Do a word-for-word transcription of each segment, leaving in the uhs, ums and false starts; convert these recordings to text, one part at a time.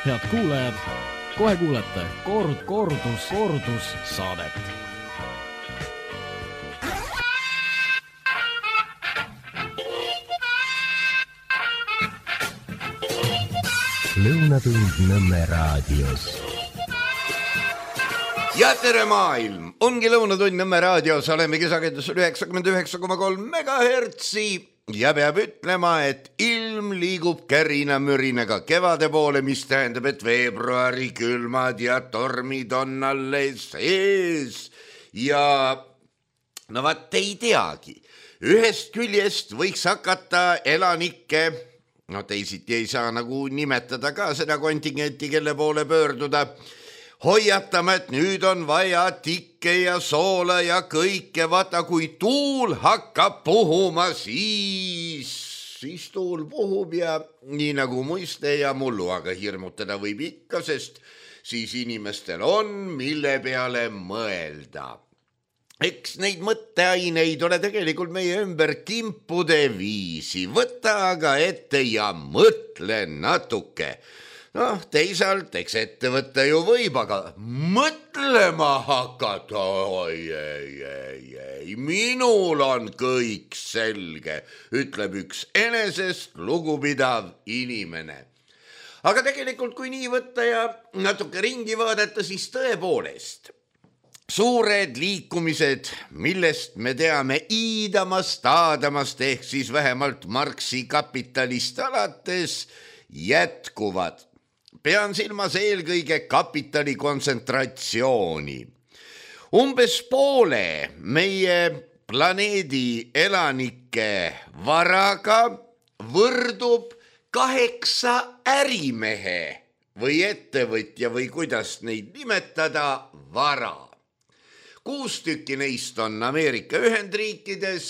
Head kuulajad, kohe kuulete kord, kordus, kordus saadet. Lõunatund Nõmme raadios. Ja tere maailm! Ongi Lõunatund Nõmme raadios, olemegi sagedusel üheksakümmend üheksa koma kolm megahertsi ja peab ütlema, et ilm liigub kärina mürinaga kevade poole, mis tähendab, et veebruari külmad ja tormid on alles ees. Ja no vaat ei teagi, ühest küljest võiks hakata elanikke, no teisiti ei saa nagu nimetada ka seda kontingenti, kelle poole pöörduda, hoiatama, et nüüd on vaja tikke ja soola ja kõike, vaata kui tuul hakkab puhuma, siis, siis tuul puhub ja nii nagu muiste ja mullu, aga hirmutada võib ikka, sest siis inimestel on, mille peale mõelda. Eks neid mõtteaineid ole tegelikult meie ümber kimpude viisi. Võta aga ette ja mõtle natuke. Noh, teisalt, eks ette võtta ju võib, aga mõtlema hakata, oi, ei, ei, ei, minul on kõik selge, ütleb üks enesest lugupidav inimene. Aga tegelikult, kui nii võtta ja natuke ringi vaadata, siis tõepoolest, suured liikumised, millest me teame iidamast, aadamast, ehk siis vähemalt Marxi kapitalist alates, jätkuvad. Pean silmas eelkõige kapitali kontsentratsiooni. Umbes poole meie planeedi elanike varaga võrdub kaheksa ärimehe või ettevõtja või kuidas neid nimetada vara. Kuus tükki neist on Ameerika Ühendriikides,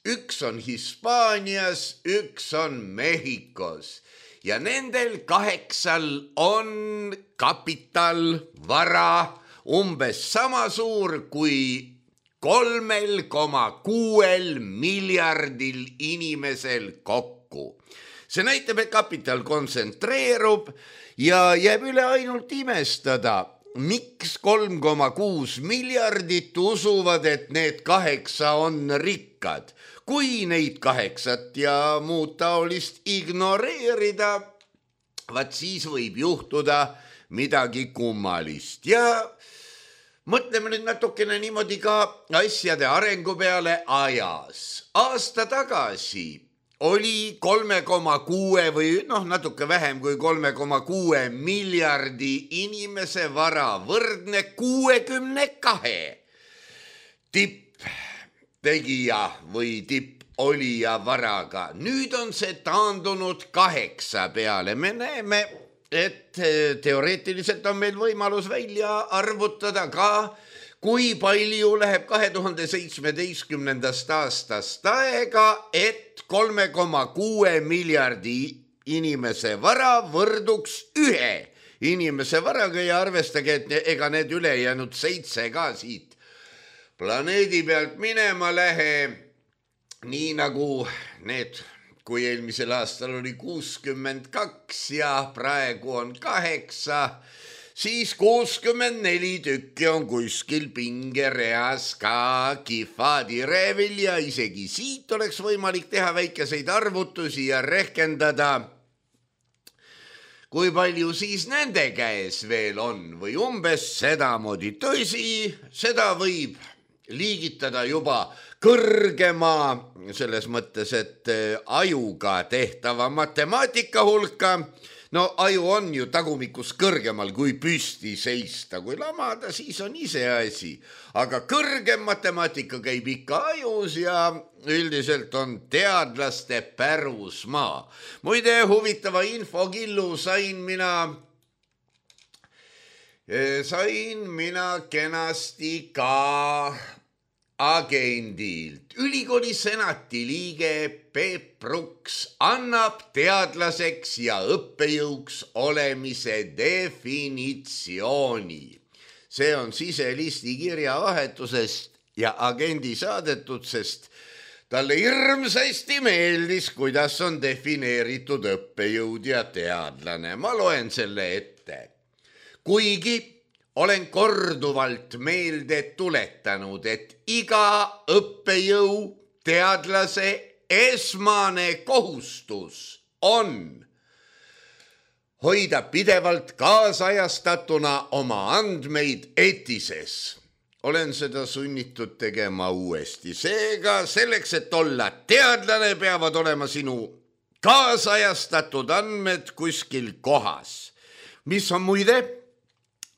üks on Hispaanias, üks on Mehhikos. Ja nendel kaheksal on kapital, vara umbes sama suur kui kolmel koma kuuel miljardil inimesel kokku. See näitab, et kapital kontsentreerub ja jääb üle ainult imestada, miks kolm koma kuus miljardit usuvad, et need kaheksa on rikkad. Kui neid kaheksat ja muud taolist ignoreerida, vaat siis võib juhtuda midagi kummalist. Ja mõtleme nüüd natukene niimoodi ka asjade arengu peale ajas. Aasta tagasi oli kolme koma kuue või noh, natuke vähem kui kolme koma kuue miljardi inimese vara võrdne kuuekümne kahe tipp tegija või tipp olija varaga. Nüüd on see taandunud kaheksa peale. Me näeme, et teoreetiliselt on meil võimalus välja arvutada ka, kui palju läheb kahe tuhande seitsmeteistkümnendast aastast aega, et kolme koma kuue miljardi inimese vara võrduks ühe inimese varaga ja arvestage, et ega need ülejäänud seitse ka siit planeedi pealt minema lähe, nii nagu need, kui eelmisel aastal oli kuuskümmend kaks ja praegu on kaheksa, siis kuuskümmend neli tükki on kuskil pingereas ka kihvadi reevil ja isegi siit oleks võimalik teha väikeseid arvutusi ja rehkendada, kui palju siis nende käes veel on või umbes sedamoodi. Tõsi, seda võib liigitada juba kõrgema, selles mõttes, et ajuga tehtava matemaatika hulka. No aju on ju tagumikus kõrgemal kui püsti seista, kui lamada, siis on ise asi. Aga kõrgem matemaatika käib ikka ajus ja üldiselt on teadlaste pärusmaa. Muide, huvitava infokillu sain mina... Sain mina kenasti ka agendilt. Ülikooli senati liige Peep Bruks annab teadlaseks ja õppejõuks olemise definitsiooni. See on siselisti kirjavahetusest ja agendi saadetud, sest Talle hirmsasti meeldis, kuidas on defineeritud õppejõud ja teadlane. Ma loen selle ette. Kuigi olen korduvalt meelde tuletanud, et iga õppejõu teadlase esmane kohustus on hoida pidevalt kaasajastatuna oma andmeid etises. Olen seda sunnitud tegema uuesti. Seega selleks, et olla teadlane, peavad olema sinu kaasajastatud andmed kuskil kohas. Mis on muide,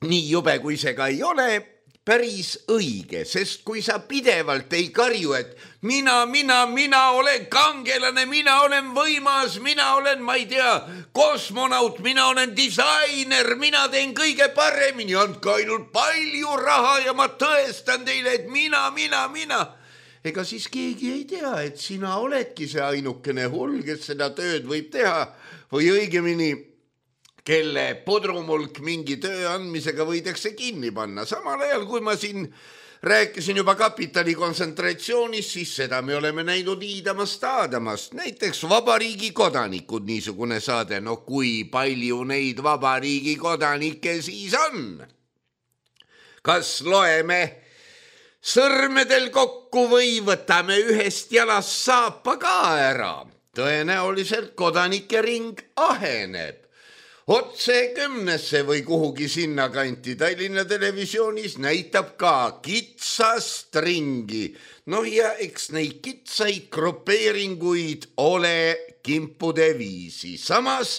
nii jube kui see ka ei ole, päris õige, sest kui sa pidevalt ei karju, et mina, mina, mina olen kangelane, mina olen võimas, mina olen, ma ei tea, kosmonaut, mina olen disainer, mina teen kõige paremini, andke ainult palju raha ja ma tõestan teile, et mina, mina, mina. Ega siis keegi ei tea, et sina oledki see ainukene hull, kes seda tööd võib teha või õigemini kelle pudrumulk mingi töö andmisega võidakse kinni panna. Samal ajal, kui ma siin rääkisin juba kapitali kontsentratsioonist, siis seda me oleme näinud iidamast aadamast. Näiteks vabariigi kodanikud, niisugune saade. No kui palju neid vabariigi kodanikke siis on? Kas loeme sõrmedel kokku või võtame ühest jalast saapa ka ära? Tõenäoliselt kodanike ring aheneb. Otse kümnesse või kuhugi sinna kanti Tallinna televisioonis näitab ka kitsast ringi. No ja eks neid kitsaid grupeeringuid ole kimpude viisi. Samas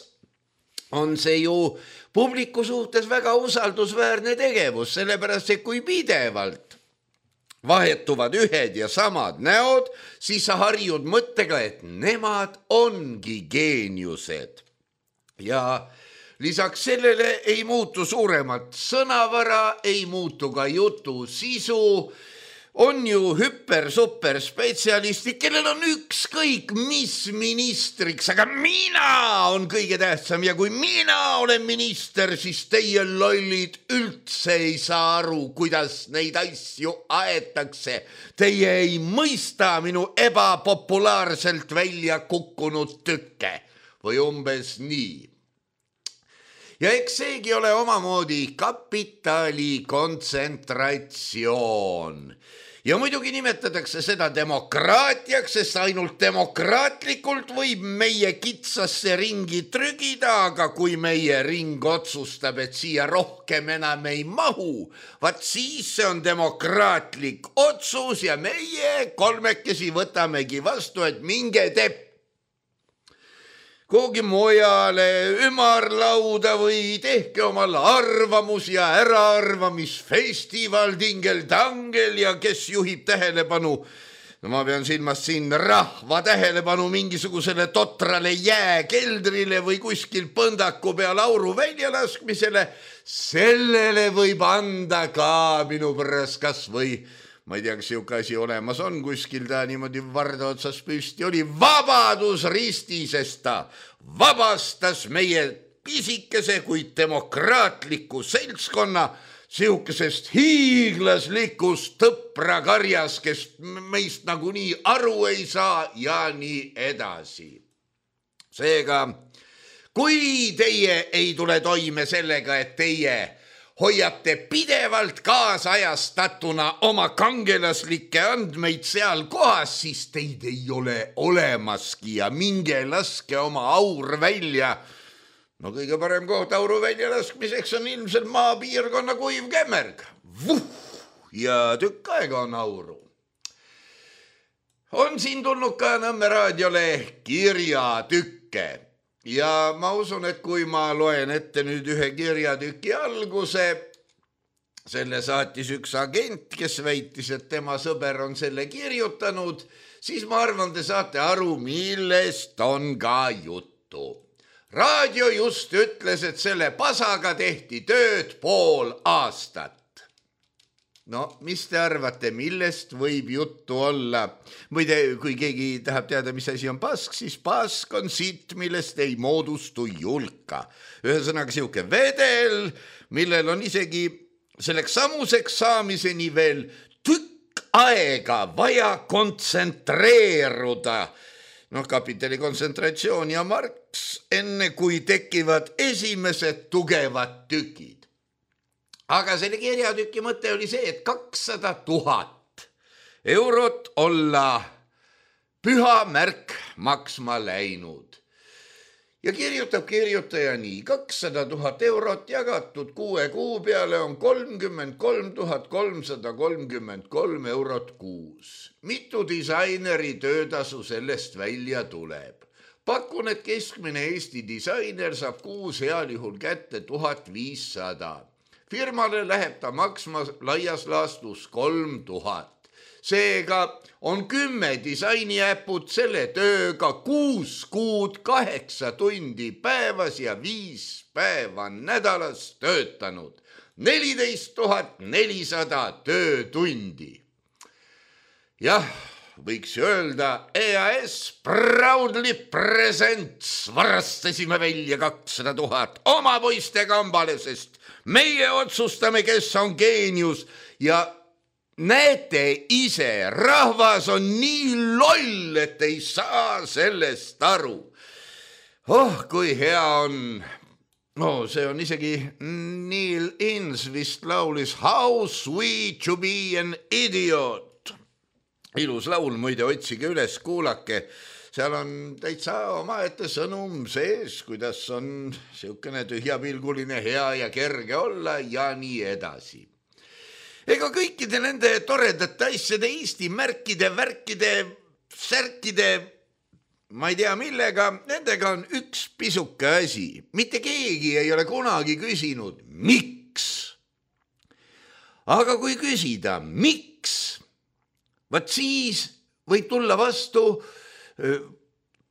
on see ju publiku suhtes väga usaldusväärne tegevus, sellepärast et kui pidevalt vahetuvad ühed ja samad näod, siis sa harjud mõttega, et nemad ongi geeniused. Ja lisaks sellele ei muutu suuremat sõnavara, ei muutu ka jutu sisu. On ju hüper-super spetsialistid, kellel on ükskõik mis ministriks, aga mina on kõige tähtsam ja kui mina olen minister, siis teie lollid üldse ei saa aru, kuidas neid asju aetakse. Teie ei mõista minu ebapopulaarselt välja kukkunud tükke või umbes nii. Ja eks seegi ole omamoodi kapitali kontsentratsioon. Ja muidugi nimetatakse seda demokraatiaks, sest ainult demokraatlikult võib meie kitsasse ringi trügida, aga kui meie ring otsustab, et siia rohkem enam ei mahu, vaat siis see on demokraatlik otsus ja meie kolmekesi võtamegi vastu, et minge tepp kuhugi mujale ümarlauda või tehke omal arvamus ja äraarvamisfestival dingel-tangel ja kes juhib tähelepanu. No ma pean silmas siin rahva tähelepanu mingisugusele totrale jääkeldrile või kuskil põndaku peal auru väljalaskmisele. Sellele võib anda ka minu pärast kas või ma ei tea, kas siuke asi olemas on, kuskil ta niimoodi varda otsas püsti oli vabadusristi, sest ta vabastas meie pisikese kuid demokraatliku seltskonna siukesest hiiglaslikust tõprakarjas, kes meist nagunii aru ei saa ja nii edasi. Seega, kui teie ei tule toime sellega, et teie hoiate pidevalt kaasajastatuna oma kangelaslikke andmeid seal kohas, siis teid ei ole olemaski ja minge laske oma aur välja. No kõige parem koht auru välja laskmiseks on ilmselt maapiirkonna kuiv kämmerg. Vuh! Ja tükk aega on auru. On siin tulnud ka Nõmme raadiole kirjatükke. Ja ma usun, et kui ma loen ette nüüd ühe kirjatüki alguse, selle saatis üks agent, kes väitis, et tema sõber on selle kirjutanud, siis ma arvan, te saate aru, millest on ka juttu. Raadio just ütles, et selle pasaga tehti tööd pool aastat. No, mis te arvate, millest võib juttu olla? Muide, kui keegi tahab teada, mis asi on pask, siis pask on sitt, millest ei moodustu julka. Ühesõnaga siuke vedel, millel on isegi selleks samuseks saamiseni veel tükk aega vaja kontsentreeruda. Noh, kapitali kontsentratsioon ja Marx, enne kui tekivad esimesed tugevad tükid. Aga selle kirjatüki mõte oli see, et kakssada tuhat eurot olla püha märk maksma läinud. Ja kirjutab kirjutaja nii, kakssada tuhat eurot jagatud kuue kuu peale on kolmkümmend kolm tuhat kolmsada kolmkümmend kolm eurot kuus. Mitu disaineri töötasu sellest välja tuleb? Pakun, et keskmine Eesti disainer saab kuus heal juhul kätte tuhat viissada. Firmale läheb ta maksma laias laastus kolm tuhat. Seega on kümme disainiäpud selle tööga kuus kuud kaheksa tundi päevas ja viis päeva nädalas töötanud. neliteist tuhat nelisada töötundi. Jah, võiks öelda E A S proudly presents. Varastasime välja kakssada tuhat oma poiste kambale, sest meie otsustame, kes on geenius ja näete ise, rahvas on nii loll, et ei saa sellest aru. Oh, kui hea on. No, see on isegi Neil Innes vist laulis How sweet to be an idiot. Ilus laul, muide, otsige üles, kuulake. Seal on täitsa omaette sõnum sees, kuidas on siukene tühjapilguline hea ja kerge olla ja nii edasi. Ega kõikide nende toredate asjade Eesti märkide, värkide, särkide, ma ei tea millega, nendega on üks pisuke asi. Mitte keegi ei ole kunagi küsinud, miks? Aga kui küsida, miks? Vaat siis võib tulla vastu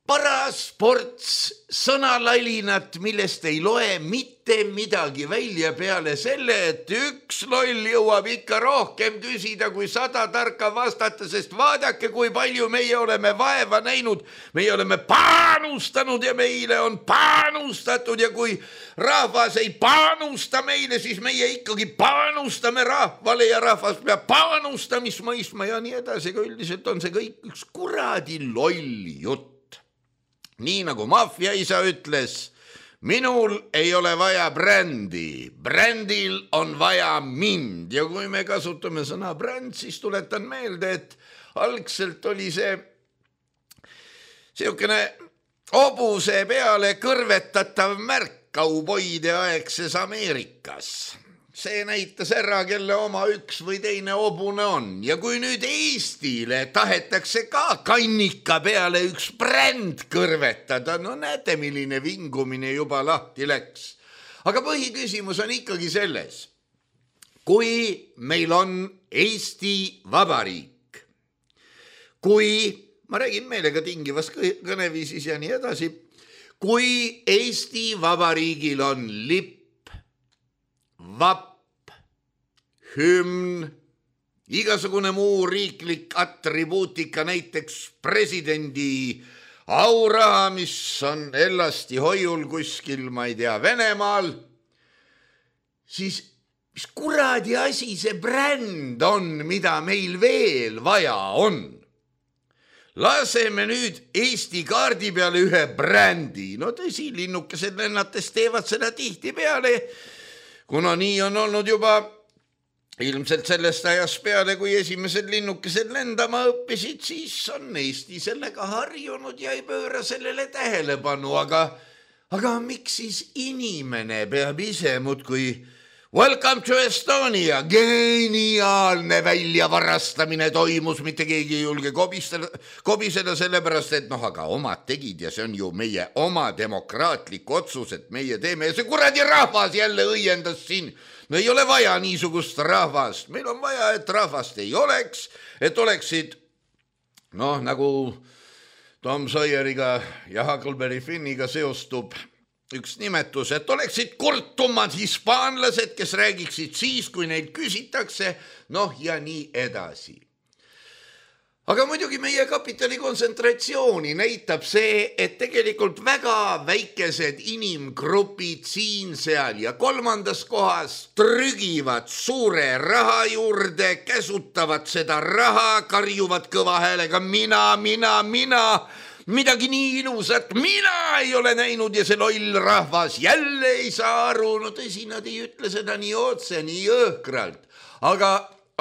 parasports sõnalalinat, millest ei loe mitte midagi välja peale selle, et üks loll jõuab ikka rohkem küsida kui sada tarka vastata, sest vaadake, kui palju meie oleme vaeva näinud, meie oleme panustanud ja meile on panustatud ja kui rahvas ei panusta meile, siis meie ikkagi panustame rahvale ja rahvas peab panustamist mõistma ja nii edasi, aga üldiselt on see kõik üks kuradi loll jutt. Nii nagu maffiaisa ütles, minul ei ole vaja brändi, brändil on vaja mind ja kui me kasutame sõna bränd, siis tuletan meelde, et algselt oli see siukene hobuse peale kõrvetatav märk kauboide aegses Ameerikas. See näitas ära, kelle oma üks või teine hobune on. Ja kui nüüd Eestile tahetakse ka kannika peale üks bränd kõrvetada, no näete, milline vingumine juba lahti läks. Aga põhiküsimus on ikkagi selles, kui meil on Eesti Vabariik, kui, ma räägin meelega tingivas kõneviisis ja nii edasi, kui Eesti Vabariigil on lipp, vapp, hümn, igasugune muu riiklik atribuutika, näiteks presidendi auraha, mis on ellasti hoiul kuskil, ma ei tea, Venemaal, siis mis kuradi asi see bränd on, mida meil veel vaja on? Laseme nüüd Eesti kaardi peale ühe brändi. No tõsi, linnukesed lennates teevad seda tihti peale, kuna nii on olnud juba ilmselt sellest ajast peale, kui esimesed linnukesed lendama õppisid, siis on Eesti sellega harjunud ja ei pööra sellele tähelepanu. Aga, aga miks siis inimene peab ise muudkui Welcome to Estonia, geniaalne väljavarastamine toimus, mitte keegi ei julge kobistada, kobiseda sellepärast, et noh, aga omad tegid ja see on ju meie oma demokraatlik otsus, et meie teeme ja see kuradi rahvas jälle õiendas siin. No ei ole vaja niisugust rahvast, meil on vaja, et rahvast ei oleks, et oleksid, noh, nagu Tom Sawyeriga ja Huckleberry Finniga seostub üks nimetus, et oleksid kurtumad hispaanlased, kes räägiksid siis, kui neid küsitakse, noh ja nii edasi. aga muidugi meie kapitali kontsentratsiooni näitab see, et tegelikult väga väikesed inimgrupid siin, seal ja kolmandas kohas trügivad suure raha juurde, käsutavad seda raha, karjuvad kõva häälega mina, mina, mina, midagi nii ilusat mina ei ole näinud ja see loll rahvas jälle ei saa aru. No tõsi, nad ei ütle seda nii otse, nii jõhkralt, aga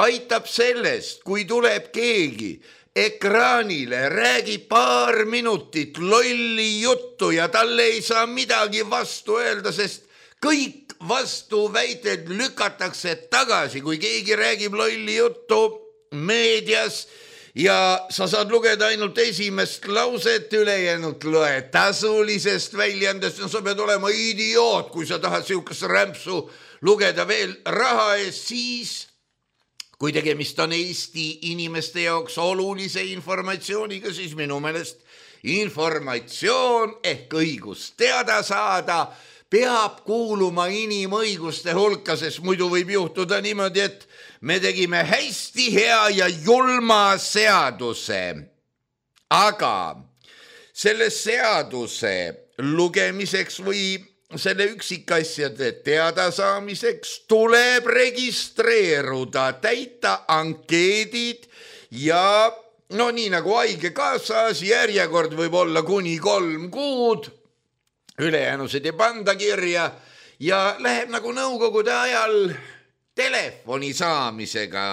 aitab sellest, kui tuleb keegi ekraanile, räägib paar minutit lolli juttu ja talle ei saa midagi vastu öelda, sest kõik vastuväited lükatakse tagasi, kui keegi räägib lolli juttu meedias ja sa saad lugeda ainult esimest lauset, ülejäänud loe tasulisest väljandest. No sa pead olema idioot, kui sa tahad siukest rämpsu lugeda veel raha eest, siis kui tegemist on Eesti inimeste jaoks olulise informatsiooniga, siis minu meelest informatsioon ehk õigus teada saada peab kuuluma inimõiguste hulka, sest muidu võib juhtuda niimoodi, et me tegime hästi hea ja julma seaduse. Aga selle seaduse lugemiseks või selle üksikasjade teadasaamiseks tuleb registreeruda, täita ankeedid ja no nii nagu haigekassas järjekord võib olla kuni kolm kuud, ülejäänusid ei panda kirja ja läheb nagu nõukogude ajal telefoni saamisega,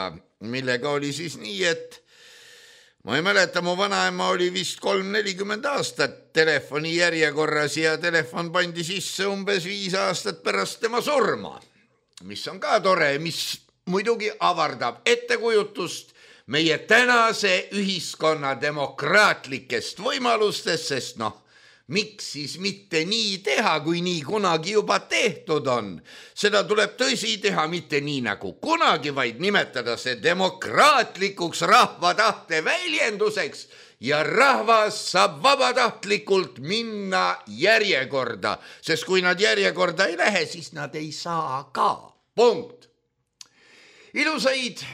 millega oli siis nii, et ma ei mäleta, mu vanaema oli vist kolm nelikümmend aastat telefoni järjekorras ja telefon pandi sisse umbes viis aastat pärast tema surma, mis on ka tore, mis muidugi avardab ettekujutust meie tänase ühiskonna demokraatlikest võimalustest, sest noh, miks siis mitte nii teha, kui nii kunagi juba tehtud on. Seda tuleb tõsi teha mitte nii nagu kunagi, vaid nimetada see demokraatlikuks rahva tahte väljenduseks ja rahvas saab vabatahtlikult minna järjekorda, sest kui nad järjekorda ei lähe, siis nad ei saa ka. Punkt. Ilusaid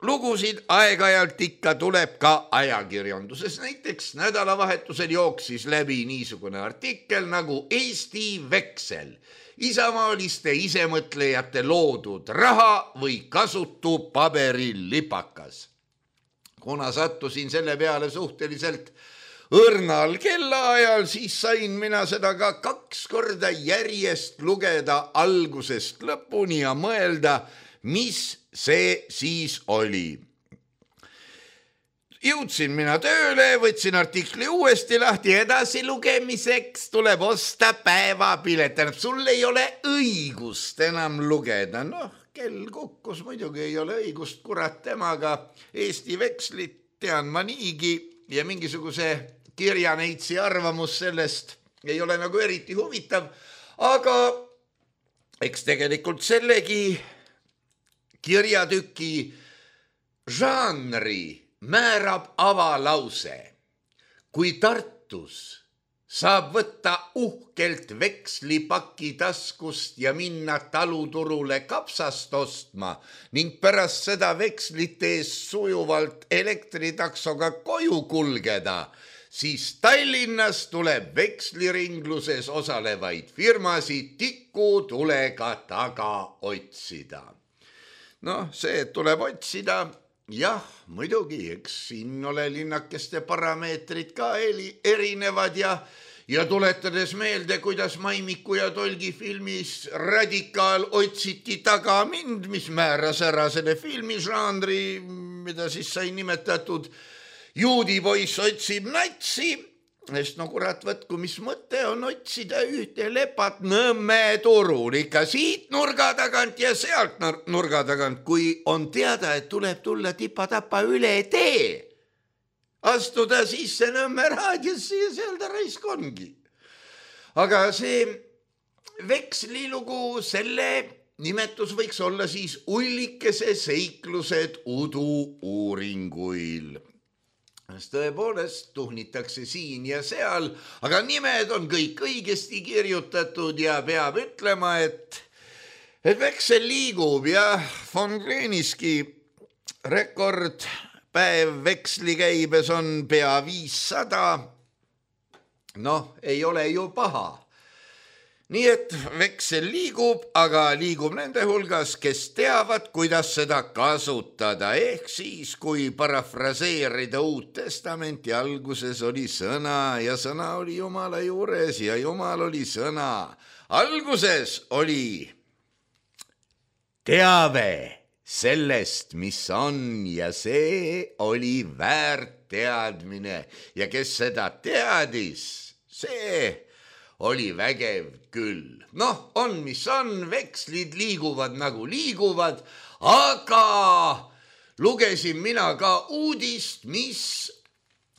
lugusid aeg-ajalt ikka tuleb ka ajakirjanduses. Näiteks nädalavahetusel jooksis läbi niisugune artikkel nagu Eesti Veksel, isamaaliste isemõtlejate loodud raha või kasutu paberilipakas. Kuna sattusin selle peale suhteliselt õrnal kellaajal, siis sain mina seda ka kaks korda järjest lugeda algusest lõpuni ja mõelda, mis see siis oli. Jõudsin mina tööle, võtsin artikli uuesti lahti, edasi lugemiseks tuleb osta päevapilet. Sul ei ole õigust enam lugeda. Noh, kell kukkus, muidugi ei ole õigust, kurat temaga. Eesti Vekslit tean ma niigi ja mingisuguse kirjaneitsi arvamus sellest ei ole nagu eriti huvitav, aga eks tegelikult sellegi kirjatüki žanri määrab avalause. Kui Tartus saab võtta uhkelt vekslipaki taskust ja minna taluturule kapsast ostma ning pärast seda vekslite ees sujuvalt elektritaksoga koju kulgeda, siis Tallinnas tuleb veksliringluses osalevaid firmasid tikutulega taga otsida. Noh, see tuleb otsida, jah, muidugi, eks siin ole linnakeste parameetrid ka erinevad ja, ja tuletades meelde, kuidas Maimiku ja Tolgi filmis Radikaal otsiti taga mind, mis määras ära selle filmižanri, mida siis sai nimetatud Juudipoiss otsib natsi, sest no kurat võtku, mis mõte on otsida ühte lepat Nõmme turul, ikka siit nurga tagant ja sealt nurga tagant, kui on teada, et tuleb tulla tipa-tapa üle tee, astuda sisse Nõmme raadiosse ja seal ta raisk ongi. Aga see vekslilugu, selle nimetus võiks olla siis Ullikese seiklused udu uuringuil. Tõepoolest tuhnitakse siin ja seal, aga nimed on kõik õigesti kirjutatud ja peab ütlema, et, et veksel liigub ja von Gleniski rekord päev vekslikäibes on pea viissada. Noh, ei ole ju paha. Nii et veksel liigub, aga liigub nende hulgas, kes teavad, kuidas seda kasutada. Ehk siis, kui parafraseerida Uut Testamenti, alguses oli sõna ja sõna oli Jumala juures ja Jumal oli sõna. Alguses oli teave sellest, mis on, ja see oli väärt teadmine. Ja kes seda teadis, see oli vägev küll. Noh, on mis on, vekslid liiguvad nagu liiguvad, aga lugesin mina ka uudist, mis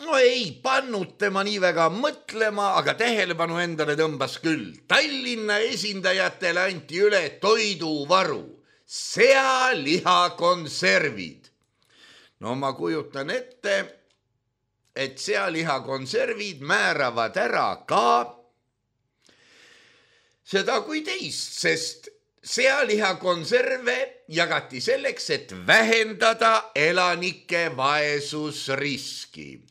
no ei pannud tema nii väga mõtlema, aga tähelepanu endale tõmbas küll. Tallinna esindajatele anti üle toiduvaru, sealihakonservid. No ma kujutan ette, et sealihakonservid määravad ära ka seda kui teist, sest sealihakonserve jagati selleks, et vähendada elanike vaesusriski.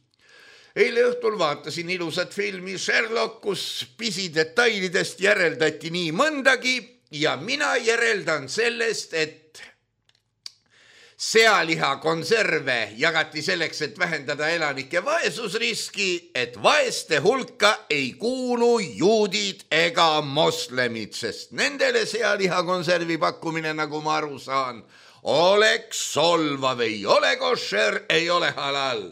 Eile õhtul vaatasin ilusat filmi Sherlock, kus pisidetailidest järeldati nii mõndagi ja mina järeldan sellest, et sealihakonserve jagati selleks, et vähendada elanike vaesusriski, et vaeste hulka ei kuulu juudid ega moslemid, sest nendele sealihakonservi pakkumine, nagu ma aru saan, oleks solvav, ei ole košer, ei ole halal.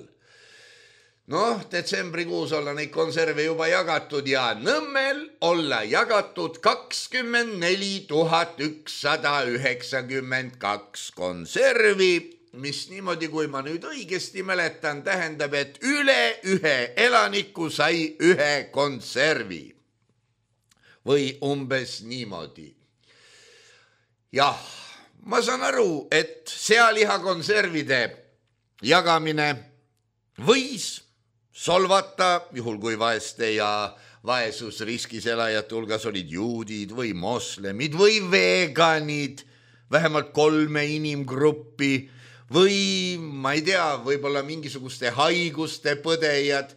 Noh, detsembrikuus olla neid konserve juba jagatud ja Nõmmel olla jagatud kakskümmend neli tuhat ükssada üheksakümmend kaks konservi, mis niimoodi, kui ma nüüd õigesti mäletan, tähendab, et üle ühe elaniku sai ühe konservi. Või umbes niimoodi. Jah, ma saan aru, et sealihakonservide jagamine võis solvata, juhul kui vaeste ja vaesusriskis elajate hulgas olid juudid või moslemid või veganid, vähemalt kolme inimgruppi või ma ei tea, võib-olla mingisuguste haiguste põdejad.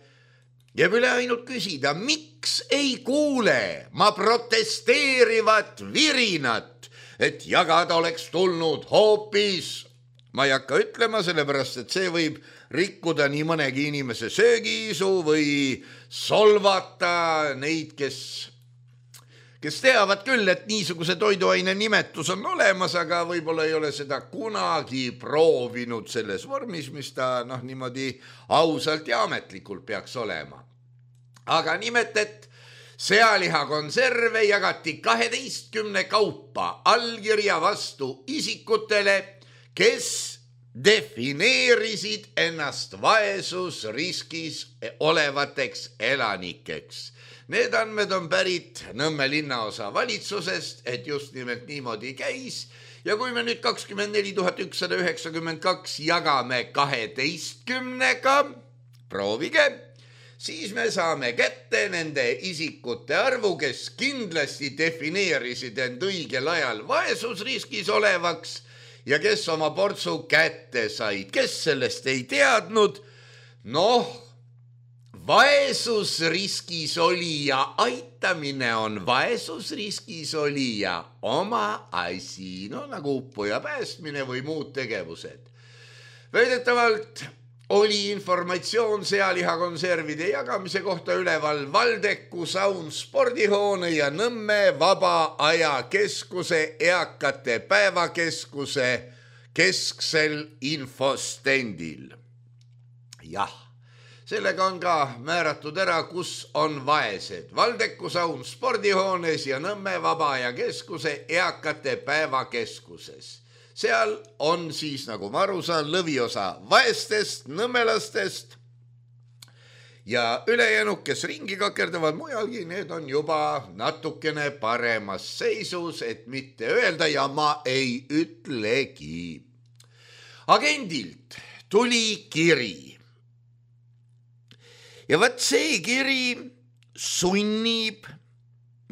Jääb üle ainult küsida, miks ei kuule ma protesteerivat virinat, et jagada oleks tulnud hoopis. Ma ei hakka ütlema, sellepärast, et see võib rikkuda nii mõnegi inimese söögiisu või solvata neid, kes, kes teavad küll, et niisuguse toiduaine nimetus on olemas, aga võib-olla ei ole seda kunagi proovinud selles vormis, mis ta noh, niimoodi ausalt ja ametlikult peaks olema. Aga nimelt, et sealihakonserve jagati kaheteistkümne kaupa allkirja vastu isikutele, kes defineerisid ennast vaesusriskis olevateks elanikeks. Need andmed on pärit Nõmme linnaosa valitsusest, et just nimelt niimoodi käis. Ja kui me nüüd kakskümmend neli tuhat ükssada üheksakümmend kaks jagame kaheteistkümnega, proovige, siis me saame kätte nende isikute arvu, kes kindlasti defineerisid end õigel ajal vaesusriskis olevaks ja kes oma portsu kätte said. Kes sellest ei teadnud? Noh, vaesusriskis olija aitamine on vaesusriskis olija oma asi, no nagu uppuja päästmine või muud tegevused. Väidetavalt oli informatsioon sealihakonservide jagamise kohta üleval Valdeku saun spordihoone ja Nõmme vaba aja keskuse eakate päevakeskuse kesksel infostendil. Jah, sellega on ka määratud ära, kus on vaesed. Valdeku saun spordihoones ja Nõmme vaba aja keskuse eakate päevakeskuses. Seal on siis, nagu ma aru saan, lõviosa vaestest, nõmmelastest ja ülejäänud, kes ringi kakerdavad mujalgi, need on juba natukene paremas seisus, et mitte öelda ja ma ei ütlegi. Agendilt tuli kiri. Ja vaat see kiri sunnib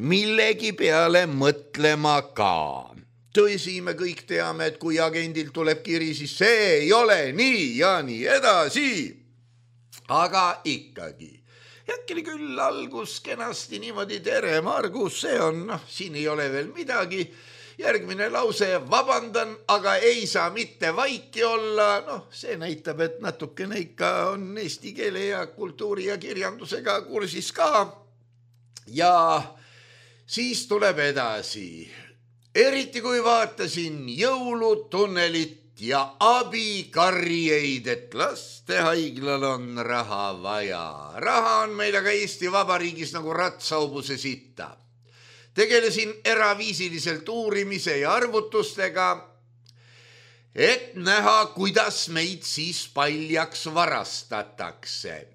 millegi peale mõtlema ka. tõsi, me kõik teame, et kui agendilt tuleb kiri, siis see ei ole nii ja nii edasi. Aga ikkagi, äkki oli küll algus kenasti niimoodi, tere Margus, see on, noh, siin ei ole veel midagi. Järgmine lause, vabandan, aga ei saa mitte vaiki olla. Noh, see näitab, et natukene ikka on eesti keele ja kultuuri ja kirjandusega kursis ka. Ja siis tuleb edasi. Eriti kui vaatasin jõulutunnelit ja abikarjeid, et lastehaiglal on raha vaja. Raha on meil aga Eesti Vabariigis nagu ratsaubuse sitta. Tegelesin eraviisiliselt uurimise ja arvutustega, et näha, kuidas meid siis paljaks varastatakse.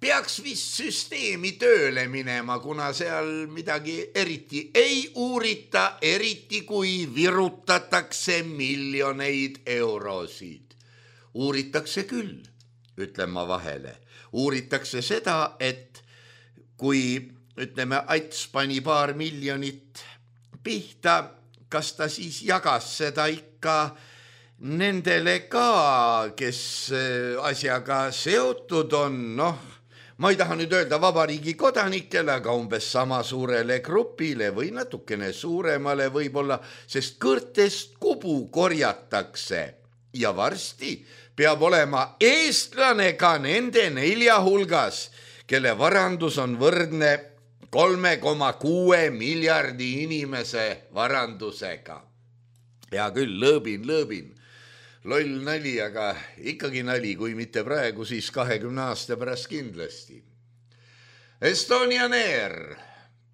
Peaks vist süsteemi tööle minema, kuna seal midagi eriti ei uurita, eriti kui virutatakse miljoneid eurosid. Uuritakse küll, ütlen ma vahele. Uuritakse seda, et kui, ütleme, Ats pani paar miljonit pihta, kas ta siis jagas seda ikka nendele ka, kes asjaga seotud on, noh, ma ei taha nüüd öelda vabariigi kodanikele, aga umbes sama suurele grupile või natukene suuremale võib-olla, sest kõrtest kubu korjatakse ja varsti peab olema eestlane ka nende nelja hulgas, kelle varandus on võrdne kolme koma kuue miljardi inimese varandusega. Hea küll, lõõbin, lõõbin. Loll nali, aga ikkagi nali, kui mitte praegu, siis kahekümne aasta pärast kindlasti. Estonian Air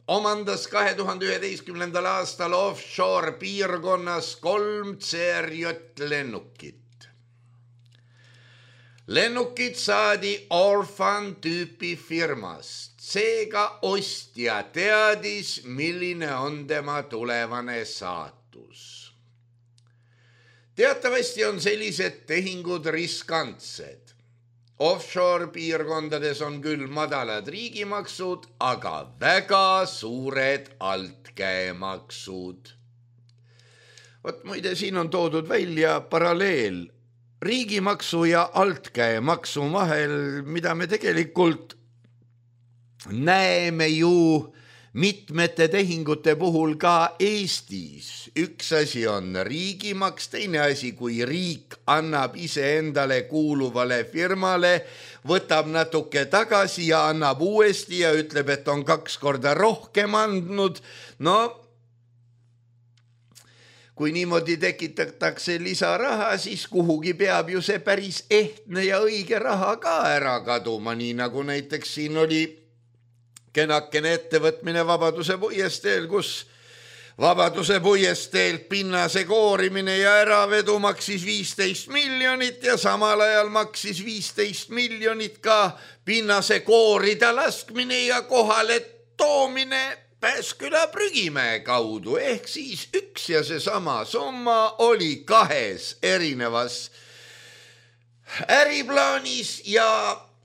omandas kahe tuhande üheteistkümnendal aastal offshore piirkonnas kolm C R J lennukit. Lennukid saadi Orphan tüüpi firmast. Seega ostja teadis, milline on tema tulevane saatus. Teatavasti on sellised tehingud riskantsed. Offshore piirkondades on küll madalad riigimaksud, aga väga suured altkäemaksud. Vot muide, siin on toodud välja paralleel riigimaksu ja altkäemaksu vahel, mida me tegelikult näeme ju mitmete tehingute puhul ka Eestis. Üks asi on riigimaks, teine asi, kui riik annab iseendale kuuluvale firmale, võtab natuke tagasi ja annab uuesti ja ütleb, et on kaks korda rohkem andnud. No, kui niimoodi tekitatakse lisaraha, siis kuhugi peab ju see päris ehtne ja õige raha ka ära kaduma, nii nagu näiteks siin oli kenakene ettevõtmine Vabaduse puiesteel, kus Vabaduse puiesteel pinnase koorimine ja äravedu maksis viisteist miljonit ja samal ajal maksis viisteist miljonit ka pinnase koorida laskmine ja kohale toomine Pääsküla Prügimäe kaudu. Ehk siis üks ja seesama summa oli kahes erinevas äriplaanis ja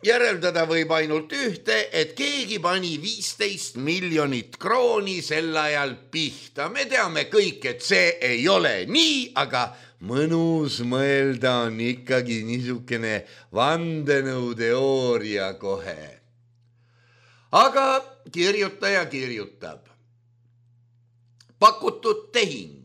järeldada võib ainult ühte, et keegi pani viisteist miljonit krooni sel ajal pihta. Me teame kõik, et see ei ole nii, aga mõnus mõelda on ikkagi niisugune vandenõuteooria kohe. Aga kirjutaja kirjutab. Pakutud tehing.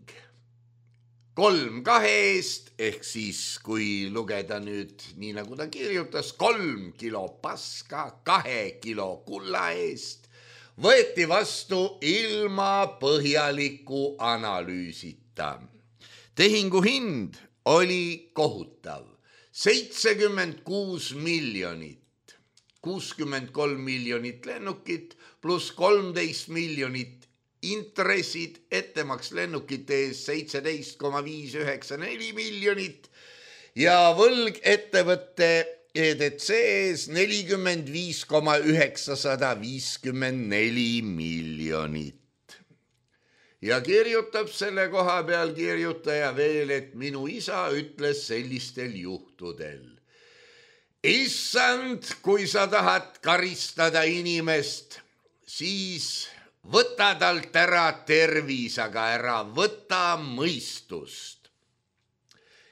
Kolm kahe eest, ehk siis kui lugeda nüüd nii nagu ta kirjutas, kolm kilo paska kahe kilo kulla eest, võeti vastu ilma põhjaliku analüüsita. Tehingu hind oli kohutav, seitsekümmend kuus miljonit, kuuskümmend kolm miljonit lennukit pluss kolmteist miljonit intressid, ettemaks lennukite ees seitseteist koma viis üheksa neli miljonit ja võlg ettevõtte E D C ees nelikümmend viis koma üheksasada viiskümmend neli miljonit. Ja kirjutab selle koha peal kirjutaja veel, et minu isa ütles sellistel juhtudel. Issand, kui sa tahad karistada inimest, siis võta talt ära tervis, aga ära võta mõistust.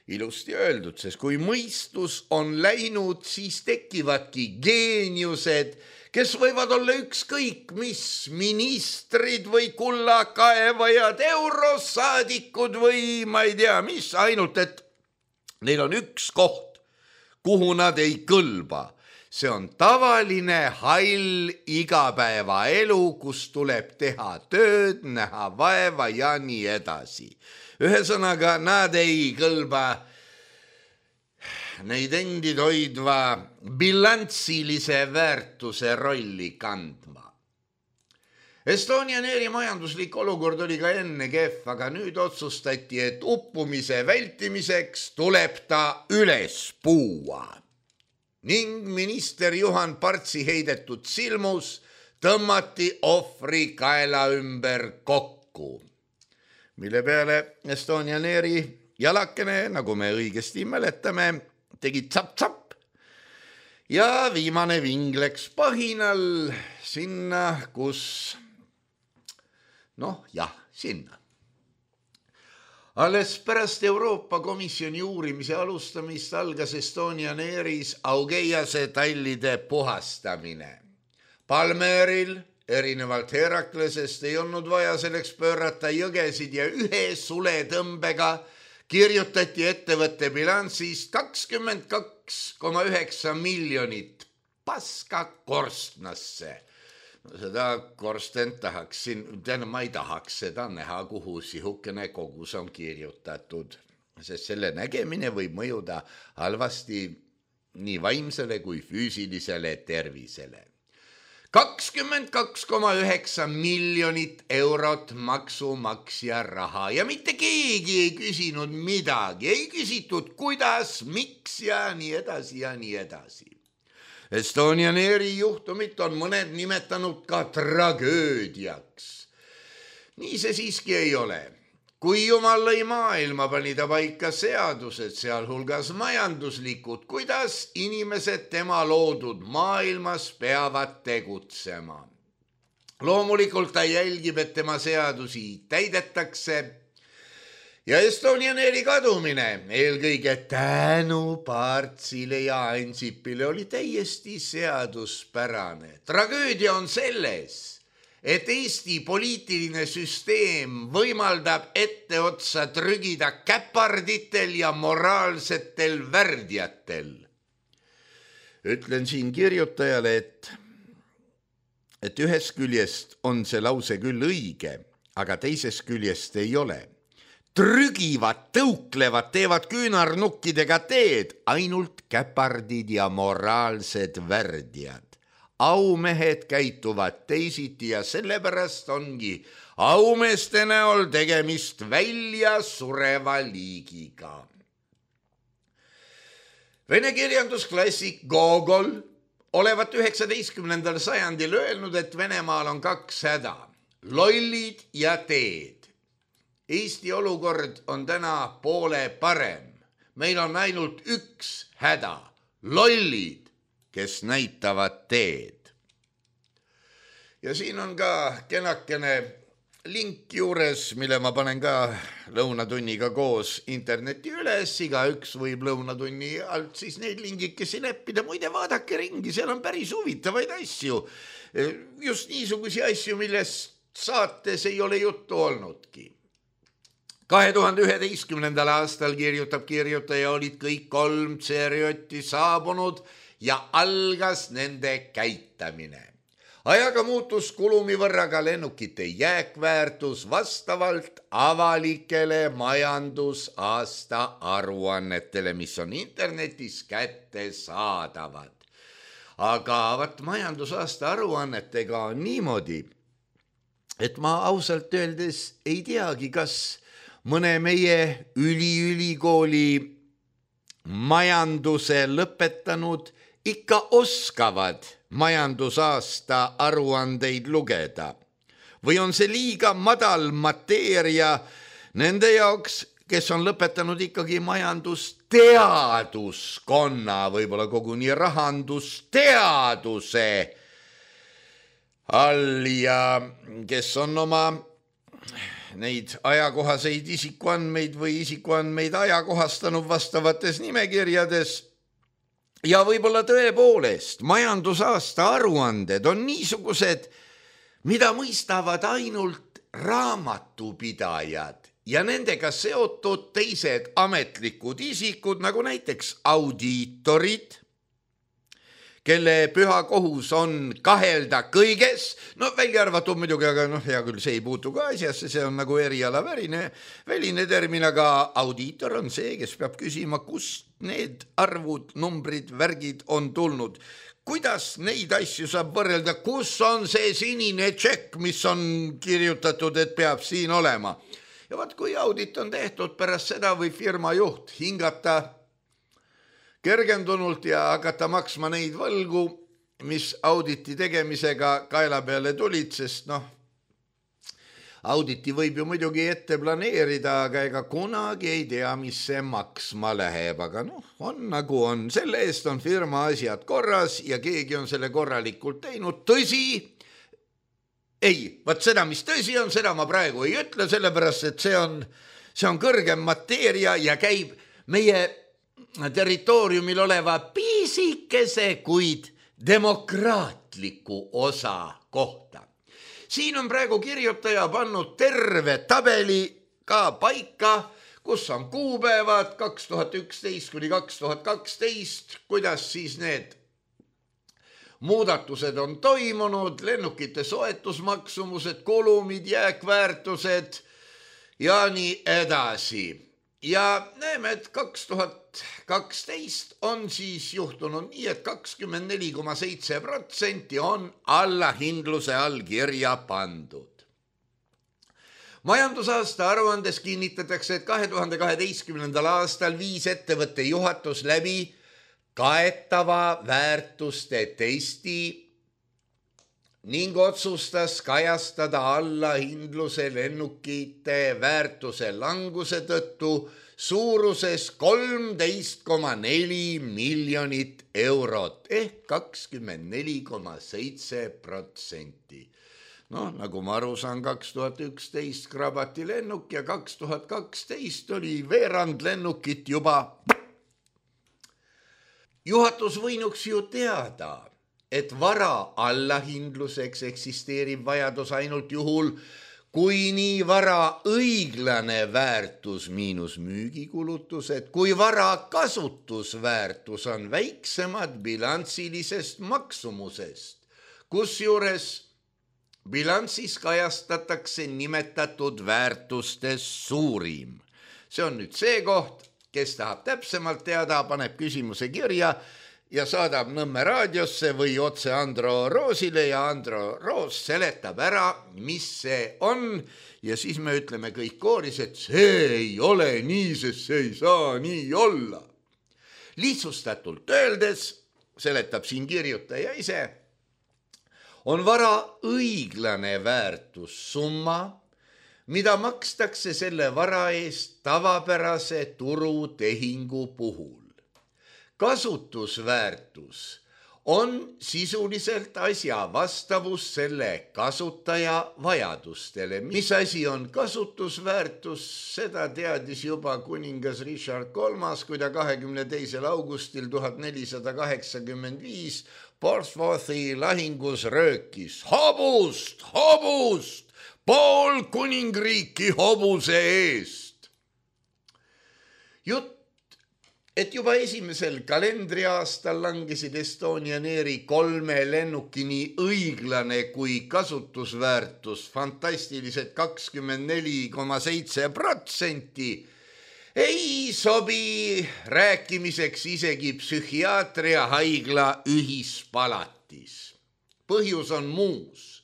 Ilusti öeldud, sest kui mõistus on läinud, siis tekivadki geeniused, kes võivad olla ükskõik mis ministrid või kullakaevajad, eurosaadikud või ma ei tea mis, ainult et neil on üks koht, kuhu nad ei kõlba. See on tavaline hall igapäevaelu, kus tuleb teha tööd, näha vaeva ja nii edasi. Ühesõnaga, nad ei kõlba neid endid hoidva bilanssilise väärtuse rolli kandma. Estonian Airi majanduslik olukord oli ka enne kehv, aga nüüd otsustati, et uppumise vältimiseks tuleb ta üles puua. Ning minister Juhan Partsi heidetud silmus tõmmati ohvri kaela ümber kokku, mille peale Estonian Airi jalakene, nagu me õigesti mäletame, tegi tsap-tsap ja viimane ving läks pahinal sinna, kus, noh jah, sinna. Alles pärast Euroopa Komisjoni uurimise alustamist algas Estonian Airis Augeiase tallide puhastamine. Palmeril, erinevalt Heraklesest, ei olnud vaja selleks pöörata jõgesid ja ühe suletõmbega kirjutati ettevõtte bilansist kakskümmend kaks koma üheksa miljonit paska korstnasse. Seda korstent tahaksin, tähendab, ma ei tahaks seda näha, kuhu sihukene kogus on kirjutatud, sest selle nägemine võib mõjuda halvasti nii vaimsele kui füüsilisele tervisele. kakskümmend kaks koma üheksa miljonit eurot maksumaksja raha ja mitte keegi ei küsinud midagi, ei küsitud kuidas, miks ja nii edasi ja nii edasi. Estonian Airi juhtumit on mõned nimetanud ka tragöödiaks. Nii see siiski ei ole. Kui Jumal lõi maailma, pani ta paika seadused, sealhulgas majanduslikud, kuidas inimesed tema loodud maailmas peavad tegutsema. Loomulikult ta jälgib, et tema seadusi täidetakse. Ja Estonian Airi kadumine, eelkõige tänu Partsile ja Ansipile, oli täiesti seaduspärane. Tragöödia on selles, et Eesti poliitiline süsteem võimaldab etteotsa trügida käparditel ja moraalsetel värdjatel. Ütlen siin kirjutajale, et, et ühest küljest on see lause küll õige, aga teisest küljest ei ole. Trügivad, tõuklevad, teevad küünarnukkidega teed, ainult käpardid ja moraalsed värdjad. Aumehed käituvad teisiti ja sellepärast ongi aumeeste näol tegemist välja sureva liigiga. Vene kirjandusklassik Gogol olevat üheksateistkümnendal sajandil öelnud, et Venemaal on kaks häda, lollid ja teed. Eesti olukord on täna poole parem. Meil on ainult üks häda, lollid, kes näitavad teed. Ja siin on ka kenakene link juures, mille ma panen ka lõunatunniga koos interneti üles. Iga üks võib lõunatunni alt siis neid lingikesi leppida. Muide, vaadake ringi, seal on päris huvitavaid asju. Just niisugusi asju, millest saates ei ole juttu olnudki. kahe tuhande üheteistkümnendal aastal kirjutab kirjutaja, olid kõik kolm tseeriotti saabunud ja algas nende käitamine. Ajaga muutus kulumi võrra ka lennukite jääkväärtus vastavalt avalikele majandusaasta aruannetele, mis on internetis kättesaadavad. Aga vat majandusaasta aruannetega on niimoodi, et ma ausalt öeldes ei teagi, kas mõne meie üliülikooli majanduse lõpetanud ikka oskavad majandusaasta aruandeid lugeda. Või on see liiga madal mateeria nende jaoks, kes on lõpetanud ikkagi majandusteaduskonna, võib-olla koguni rahandusteaduse all ja kes on oma neid ajakohaseid isikuandmeid või isikuandmeid ajakohastanud vastavates nimekirjades. Ja võib-olla tõepoolest majandusaasta aruanded on niisugused, mida mõistavad ainult raamatupidajad ja nendega seotud teised ametlikud isikud, nagu näiteks audiitorid, kelle püha kohus on kahelda kõiges, no välja arvatud muidugi, aga noh, hea küll, see ei puutu ka asjasse, see on nagu erialaväline väline termin, aga audiitor on see, kes peab küsima, kust need arvud, numbrid, värgid on tulnud. Kuidas neid asju saab võrrelda, kus on see sinine tšekk, mis on kirjutatud, et peab siin olema. Ja vaat kui audit on tehtud, pärast seda või firma juht hingata kergendunult ja hakata maksma neid võlgu, mis auditi tegemisega kaela peale tulid, sest noh, auditi võib ju muidugi ette planeerida, aga ega kunagi ei tea, mis see maksma läheb, aga noh, on nagu on. Selle eest on firma asjad korras ja keegi on selle korralikult teinud. Tõsi, ei, vaat seda, mis tõsi on, seda ma praegu ei ütle, sellepärast, et see on, see on kõrgem mateeria ja käib meie territooriumil oleva piisikese, kuid demokraatliku osa kohta. Siin on praegu kirjutaja pannud terve tabeli ka paika, kus on kuupäevad kaks tuhat üksteist kuni kaks tuhat kaksteist, kuidas siis need muudatused on toimunud, lennukite soetusmaksumused, kulumid, jääkväärtused ja nii edasi. Ja näeme, et kaks tuhat kaksteist on siis juhtunud nii, et kakskümmend neli koma seitse protsenti on allahindluse all kirja pandud. Majandusaasta aruandes kinnitatakse, et kahe tuhande kaheteistkümnendal aastal viis ettevõtte juhatus läbi kaetava väärtuste testi ning otsustas kajastada allahindluse lennukite väärtuse languse tõttu suuruses kolmteist koma neli miljonit eurot ehk kakskümmend neli koma seitse protsenti. No, nagu ma aru saan, kaks tuhat üksteist krabati lennuk ja kaks tuhat kaksteist oli veerand lennukit juba. Juhatus võinuks ju teada, et vara allahindluseks eksisteerib vajadus ainult juhul, kui nii vara õiglane väärtus miinus müügikulutused, kui vara kasutusväärtus on väiksemad bilansilisest maksumusest, kusjuures bilansis kajastatakse nimetatud väärtustes suurim. See on nüüd see koht, kes tahab täpsemalt teada, paneb küsimuse kirja ja saadab Nõmme raadiosse või otse Andro Roosile ja Andro Roos seletab ära, mis see on ja siis me ütleme kõik kooris, et see ei ole nii, sest see ei saa nii olla. Lihtsustatult öeldes, seletab siin kirjutaja ise, on vara õiglane väärtussumma, mida makstakse selle vara eest tavapärase turutehingu puhul. Kasutusväärtus on sisuliselt asja vastavus selle kasutaja vajadustele. Mis asi on kasutusväärtus, seda teadis juba kuningas Richard kolmas, kui ta kahekümne teisel augustil tuhat nelisada kaheksakümmend viis Portsmouthi lahingus röökis hobust, hobust, pool kuningriiki hobuse eest. Jutt, et juba esimesel kalendriaastal langesid Estonian Airi kolme lennuki nii õiglane kui kasutusväärtus fantastilised kakskümmend neli koma seitse protsenti, ei sobi rääkimiseks isegi psühhiaatria haigla ühispalatis. Põhjus on muus.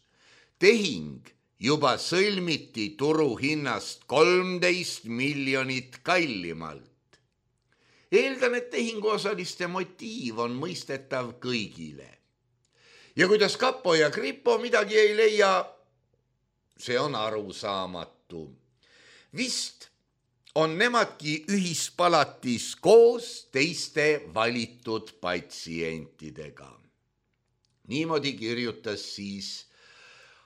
Tehing juba sõlmiti turuhinnast kolmteist miljonit kallimalt. Eeldan, et tehinguosaliste motiiv on mõistetav kõigile. Ja kuidas Kapo ja Kripo midagi ei leia, see on arusaamatu. Vist on nemadki ühispalatis koos teiste valitud patsientidega. Niimoodi kirjutas siis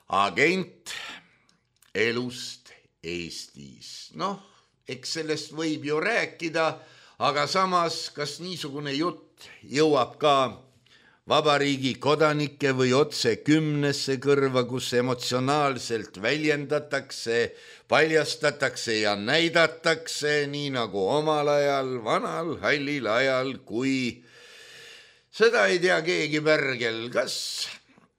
agent elust Eestis. Noh, eks sellest võib ju rääkida, aga samas, kas niisugune jutt jõuab ka vabariigi kodanikke või otse kümnesse kõrva, kus emotsionaalselt väljendatakse, paljastatakse ja näidatakse, nii nagu omal ajal, vanal hallil ajal, kui seda ei tea keegi pärgel, kas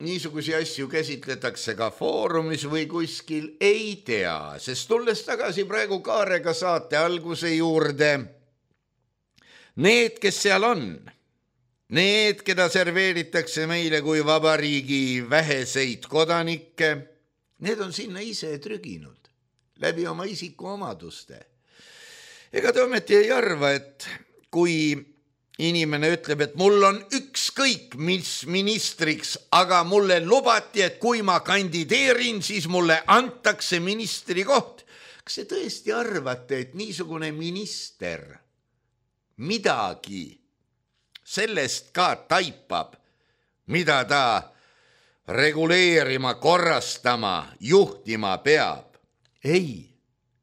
niisugusi asju käsitletakse ka foorumis või kuskil, ei tea, sest tulles tagasi praegu Kaarega saate alguse juurde, need, kes seal on, need, keda serveeritakse meile kui vabariigi väheseid kodanikke, need on sinna ise trüginud läbi oma isikuomaduste. Ega te ometi ei arva, et kui inimene ütleb, et mul on ükskõik mis ministriks, aga mulle lubati, et kui ma kandideerin, siis mulle antakse ministri koht. Kas te tõesti arvate, et niisugune minister midagi sellest ka taipab, mida ta reguleerima, korrastama, juhtima peab? Ei,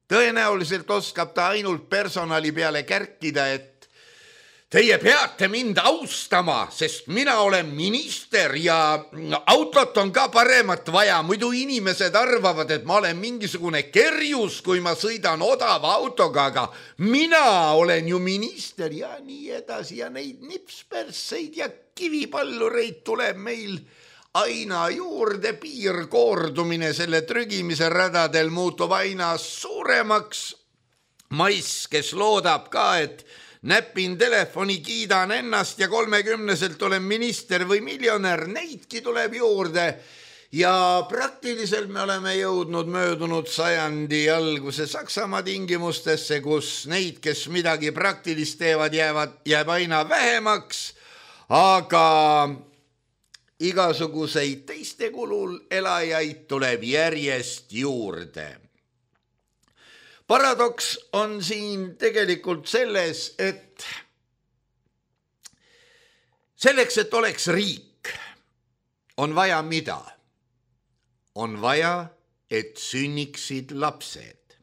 tõenäoliselt oskab ta ainult personali peale kärkida, et teie peate mind austama, sest mina olen minister ja autot on ka paremat vaja. Muidu inimesed arvavad, et ma olen mingisugune kerjus, kui ma sõidan odava autoga, aga mina olen ju minister ja nii edasi. Ja neid nipsperseid ja kivipallureid tuleb meil aina juurde, piirkoordumine selle trügimise radadel muutub aina suuremaks. Mais, kes loodab ka, et näpin telefoni, kiidan ennast ja kolmekümneselt olen minister või miljonär, neidki tuleb juurde. Ja praktiliselt me oleme jõudnud möödunud sajandi alguse Saksamaa tingimustesse, kus neid, kes midagi praktilist teevad, jäävad, jääb aina vähemaks, aga igasuguseid teiste kulul elajaid tuleb järjest juurde. Paradoks on siin tegelikult selles, et selleks, et oleks riik, on vaja mida? On vaja, et sünniksid lapsed.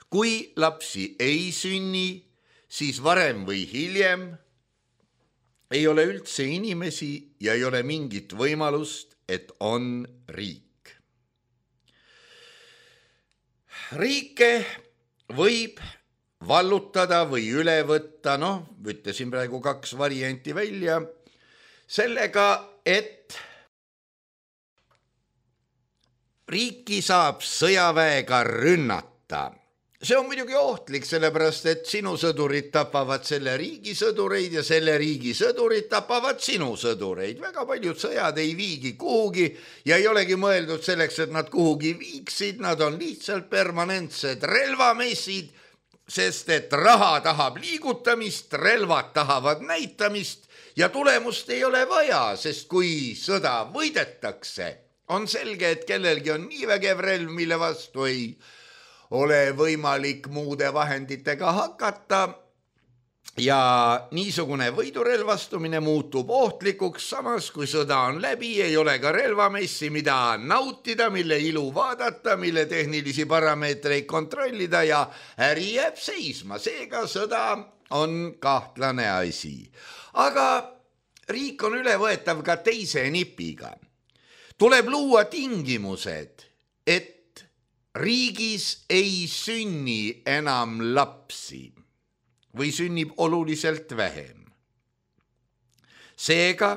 Kui lapsi ei sünni, siis varem või hiljem ei ole üldse inimesi ja ei ole mingit võimalust, et on riik. Riike võib vallutada või üle võtta, noh, ütlesin praegu kaks varianti välja, sellega, et riiki saab sõjaväega rünnata. See on muidugi ohtlik, sellepärast, et sinu sõdurid tapavad selle riigi sõdureid ja selle riigi sõdurid tapavad sinu sõdureid. Väga paljud sõjad ei viigi kuhugi ja ei olegi mõeldud selleks, et nad kuhugi viiksid. Nad on lihtsalt permanentsed relvamessid, sest et raha tahab liigutamist, relvad tahavad näitamist ja tulemust ei ole vaja, sest kui sõda võidetakse, on selge, et kellelgi on nii vägev relv, mille vastu ei ole võimalik muude vahenditega hakata ja niisugune võidurelvastumine muutub ohtlikuks, samas kui sõda on läbi, ei ole ka relvamessi, mida nautida, mille ilu vaadata, mille tehnilisi parameetreid kontrollida ja äri jääb seisma. Seega sõda on kahtlane asi. Aga riik on ülevõetav ka teise nipiga. Tuleb luua tingimused, et riigis ei sünni enam lapsi või sünnib oluliselt vähem. Seega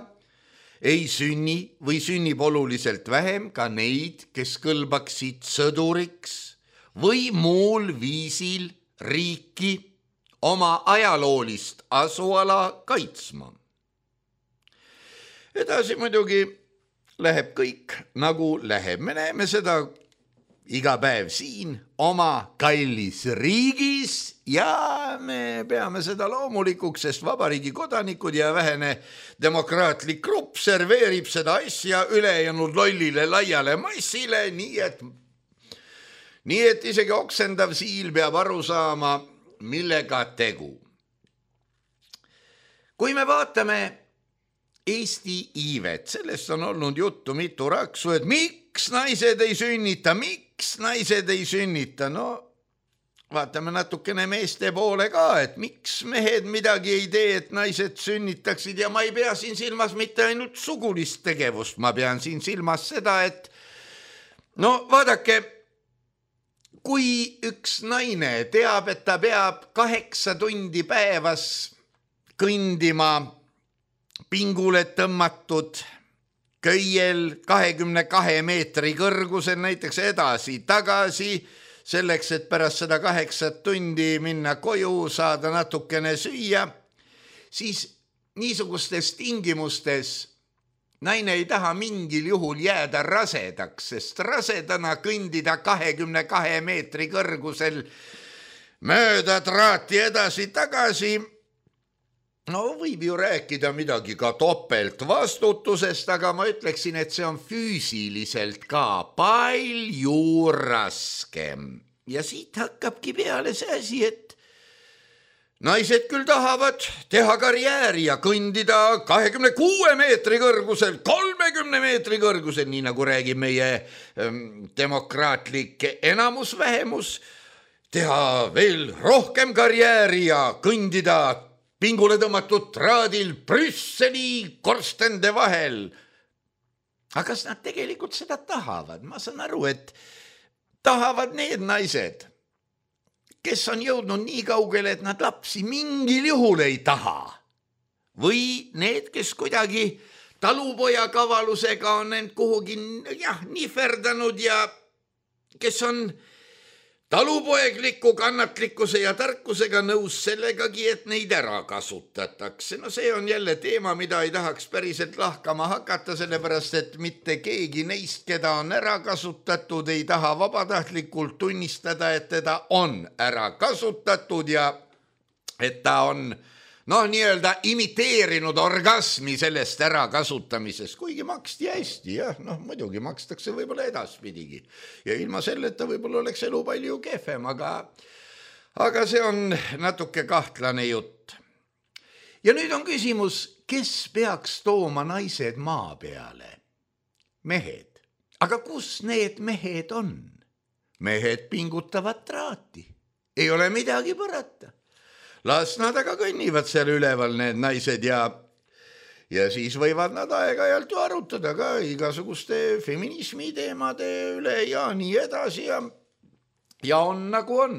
ei sünni või sünnib oluliselt vähem ka neid, kes kõlbaksid sõduriks või muul viisil riiki oma ajaloolist asuala kaitsma. Edasi muidugi läheb kõik nagu läheb. Me näeme seda iga päev siin oma kallis riigis ja me peame seda loomulikuks, sest vabariigi kodanikud ja vähene demokraatlik grupp serveerib seda asja ülejäänud lollile laiale massile, nii et, nii et isegi oksendav siil peab aru saama, millega tegu. Kui me vaatame Eesti iivet, sellest on olnud juttu mitu raksu, et miks naised ei sünnita, miks naised ei sünnita, no vaatame natukene meeste poole ka, et miks mehed midagi ei tee, et naised sünnitaksid ja ma ei pea siin silmas mitte ainult sugulist tegevust, ma pean siin silmas seda, et no vaadake, kui üks naine teab, et ta peab kaheksa tundi päevas kõndima pingule tõmmatud köiel kahekümne kahe meetri kõrgusel näiteks edasi, tagasi, selleks, et pärast seda kaheksat tundi minna koju, saada natukene süüa, siis niisugustes tingimustes naine ei taha mingil juhul jääda rasedaks, sest rasedana kõndida kahekümne kahe meetri kõrgusel mööda traati edasi-tagasi, no võib ju rääkida midagi ka topeltvastutusest, aga ma ütleksin, et see on füüsiliselt ka palju raskem. Ja siit hakkabki peale see asi, et naised küll tahavad teha karjääri ja kõndida kahekümne kuue meetri kõrgusel, kolmekümne meetri kõrgusel, nii nagu räägib meie ähm, demokraatlik enamusvähemus, teha veel rohkem karjääri ja kõndida pingule tõmmatud traadil Brüsseli korstende vahel. Aga kas nad tegelikult seda tahavad? Ma saan aru, et tahavad need naised, kes on jõudnud nii kaugele, et nad lapsi mingil juhul ei taha. Või need, kes kuidagi talupoja kavalusega on end kuhugi jah, nihverdanud ja kes on talupoegliku kannatlikkuse ja tarkusega nõus sellegagi, et neid ära kasutatakse. No see on jälle teema, mida ei tahaks päriselt lahkama hakata, sellepärast, et mitte keegi neist, keda on ära kasutatud, ei taha vabatahtlikult tunnistada, et teda on ära kasutatud ja et ta on noh, nii-öelda imiteerinud orgasmi sellest ärakasutamisest, kuigi maksti hästi, jah, noh, muidugi makstakse võib-olla edaspidigi. Ja ilma selleta võib-olla oleks elu palju kehvem, aga, aga see on natuke kahtlane jutt. Ja nüüd on küsimus, kes peaks tooma naised maa peale? Mehed. Aga kus need mehed on? Mehed pingutavad traati. Ei ole midagi parata. Las nad aga kõnnivad seal üleval need naised ja, ja siis võivad nad aeg-ajalt ju arutada ka igasuguste feminismi teemade üle ja nii edasi ja, ja on nagu on.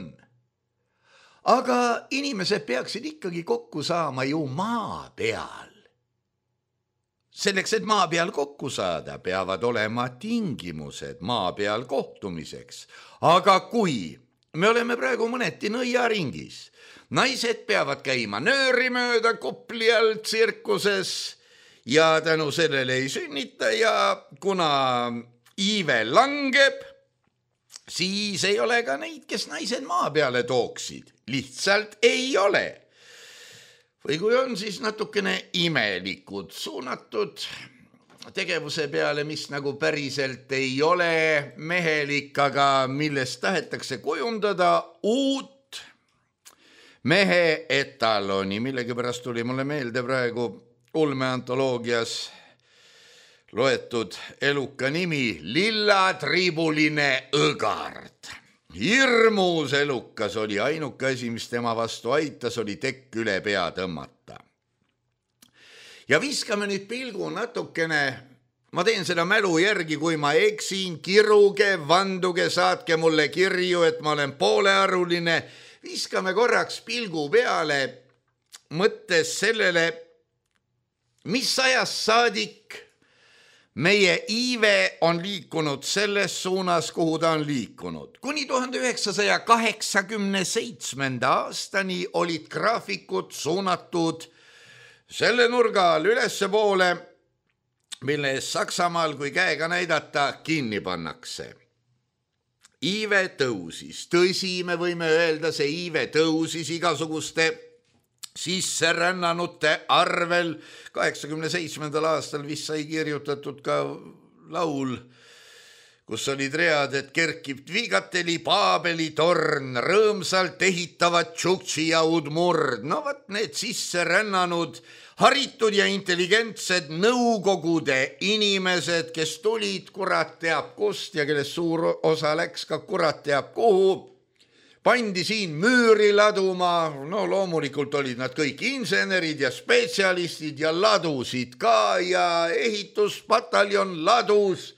Aga inimesed peaksid ikkagi kokku saama ju maa peal. Selleks, et maa peal kokku saada, peavad olema tingimused maa peal kohtumiseks. Aga kui me oleme praegu mõneti nõiaringis, naised peavad käima nööri mööda Kopli all tsirkuses ja tänu sellele ei sünnita ja kuna iive langeb, siis ei ole ka neid, kes naised maa peale tooksid. Lihtsalt ei ole. Või kui on, siis natukene imelikud suunatud tegevuse peale, mis nagu päriselt ei ole mehelik, aga millest tahetakse kujundada uut mehe etaloni, millegipärast tuli mulle meelde praegu ulmeantoloogias loetud eluka nimi Lillatribuline õgard. Hirmus elukas oli, ainuke asi, mis tema vastu aitas, oli tekk üle pea tõmmata. Ja viskame nüüd pilgu natukene, ma teen seda mälu järgi, kui ma eksin, kiruge, vanduge, saatke mulle kirju, et ma olen poolearuline. Viskame korraks pilgu peale, mõttes sellele, mis ajast saadik meie iive on liikunud selles suunas, kuhu ta on liikunud. Kuni tuhande üheksasaja kaheksakümne seitsmenda aastani olid graafikud suunatud selle nurga all ülesse poole, mille Saksamaal, kui käega näidata, kinni pannakse. Iive tõusis. Tõsi, me võime öelda, see iive tõusis igasuguste sisserännanute arvel. kaheksakümne seitsmendal aastal vist sai kirjutatud ka laul, kus olid read, et kerkib Dvigateli Paabeli torn, rõõmsalt ehitavad Tšuktši ja Udmurd. No vat need sisse rännanud, haritud ja intelligentsed nõukogude inimesed, kes tulid kurat teab kust ja kellest suur osa läks ka kurat teab kuhu, pandi siin müüri laduma. No loomulikult olid nad kõik insenerid ja spetsialistid ja ladusid ka ja ehituspataljon ladus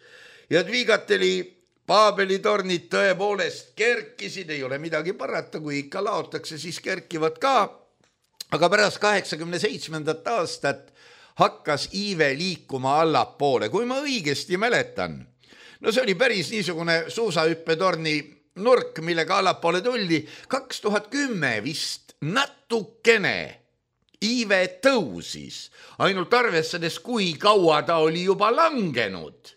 ja Dvigateli Paabeli tornid tõepoolest kerkisid, ei ole midagi parata, kui ikka laotakse, siis kerkivad ka. Aga pärast kaheksakümne seitsmendat aastat hakkas iive liikuma allapoole, kui ma õigesti mäletan. No see oli päris niisugune suusahüppetorni nurk, millega allapoole tuldi. kaks tuhat kümme vist natukene iive tõusis, ainult arvestades, kui kaua ta oli juba langenud.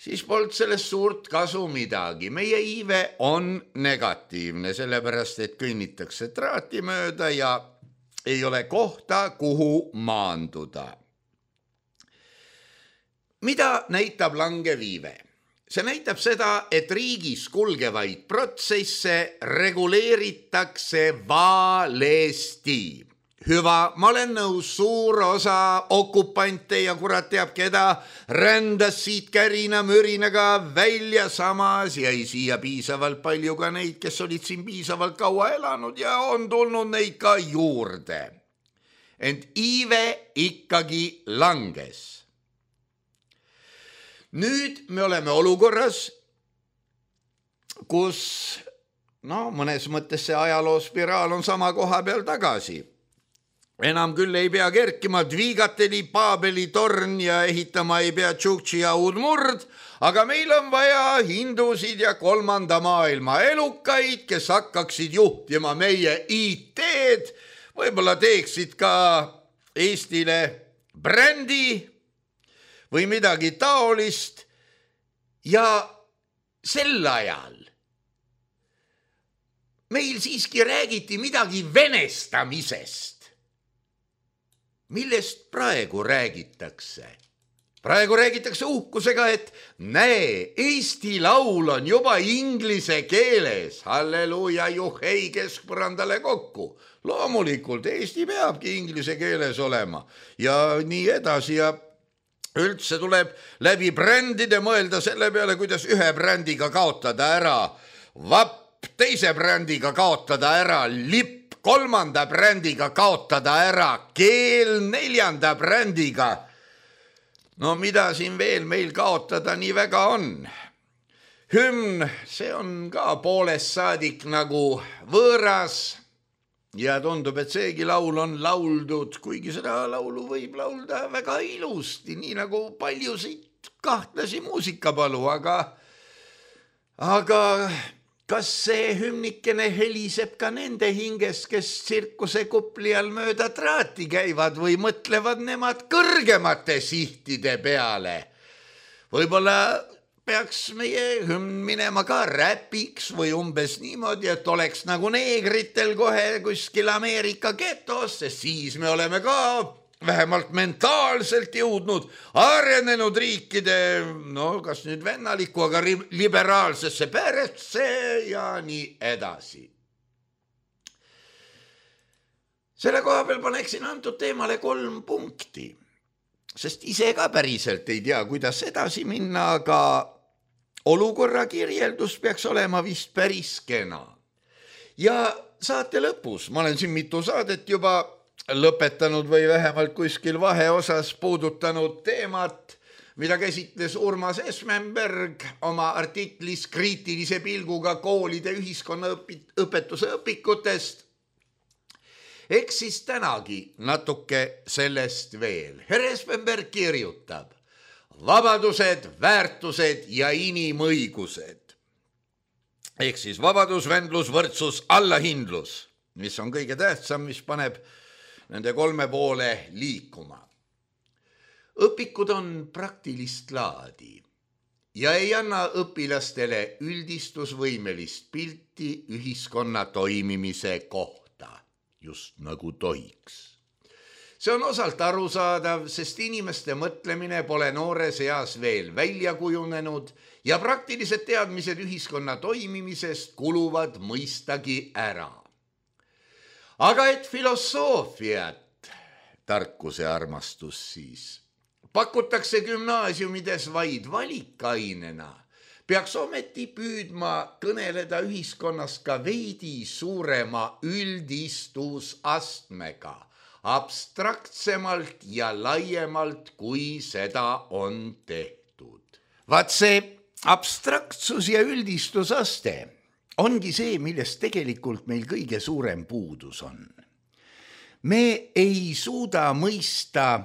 Siis polnud sellest suurt kasu midagi. Meie iive on negatiivne, sellepärast et kõnnitakse traati mööda ja ei ole kohta, kuhu maanduda. Mida näitab langev iive? See näitab seda, et riigis kulgevaid protsesse reguleeritakse valesti. Hüva, ma olen nõus, suur osa okupante ja kurat teab keda rändas siit kärina mürinaga välja, samas jäi siia piisavalt palju ka neid, kes olid siin piisavalt kaua elanud ja on tulnud neid ka juurde. Ent iive ikkagi langes. Nüüd me oleme olukorras, kus no, mõnes mõttes see ajaloo spiraal on sama koha peal tagasi. Enam küll ei pea kerkima Dvigateli Paabeli torn ja ehitama ei pea Tšuktši ja Udmurd, aga meil on vaja hindusid ja kolmanda maailma elukaid, kes hakkaksid juhtima meie I T-d, võib-olla teeksid ka Eestile brändi või midagi taolist ja sel ajal meil siiski räägiti midagi venestamisest. Millest praegu räägitakse? Praegu räägitakse uhkusega, et näe, Eesti laul on juba inglise keeles. Halleluuja, juhei keskpõrandale kokku. Loomulikult Eesti peabki inglise keeles olema ja nii edasi ja üldse tuleb läbi brändide mõelda selle peale, kuidas ühe brändiga kaotada ära vapp, teise brändiga kaotada ära lipp, kolmanda brändiga kaotada ära keel, neljanda brändiga. No mida siin veel meil kaotada nii väga on? Hümn, see on ka poolest saadik nagu võõras ja tundub, et seegi laul on lauldud, kuigi seda laulu võib laulda väga ilusti, nii nagu paljusid kahtlasi muusikapalu, aga, aga kas see hümnikene heliseb ka nende hinges, kes tsirkuse kupli all mööda traati käivad või mõtlevad nemad kõrgemate sihtide peale? Võib-olla peaks meie hümn minema ka räpiks või umbes niimoodi, et oleks nagu neegritel kohe kuskil Ameerika getos, sest siis me oleme ka vähemalt mentaalselt jõudnud arenenud riikide, no kas nüüd vennaliku, aga liberaalsesse peresse ja nii edasi. Selle koha peal paneksin antud teemale kolm punkti, sest ise ka päriselt ei tea, kuidas edasi minna, aga olukorra kirjeldus peaks olema vist päris kena. Ja saate lõpus, ma olen siin mitu saadet juba lõpetanud või vähemalt kuskil vaheosas puudutanud teemat, mida käsitles Urmas Esmenberg oma artiklis kriitilise pilguga koolide ühiskonnaõpetuse õpikutest. Eks siis tänagi natuke sellest veel. Herr Esmenberg kirjutab vabadused, väärtused ja inimõigused. Ehk siis vabadus, vendlus, võrdsus, allahindlus, mis on kõige tähtsam, mis paneb nende kolme poole liikuma. Õpikud on praktilist laadi ja ei anna õpilastele üldistusvõimelist pilti ühiskonna toimimise kohta, just nagu tohiks. See on osalt arusaadav, sest inimeste mõtlemine pole noores eas veel välja kujunenud ja praktilised teadmised ühiskonna toimimisest kuluvad mõistagi ära. Aga et filosoofiat, tarkuse armastus siis, pakutakse gümnaasiumides vaid valikainena, peaks ometi püüdma kõneleda ühiskonnas ka veidi suurema üldistusastmega, abstraktsemalt ja laiemalt, kui seda on tehtud. Vaat see abstraktsus ja üldistusaste ongi see, millest tegelikult meil kõige suurem puudus on. Me ei suuda mõista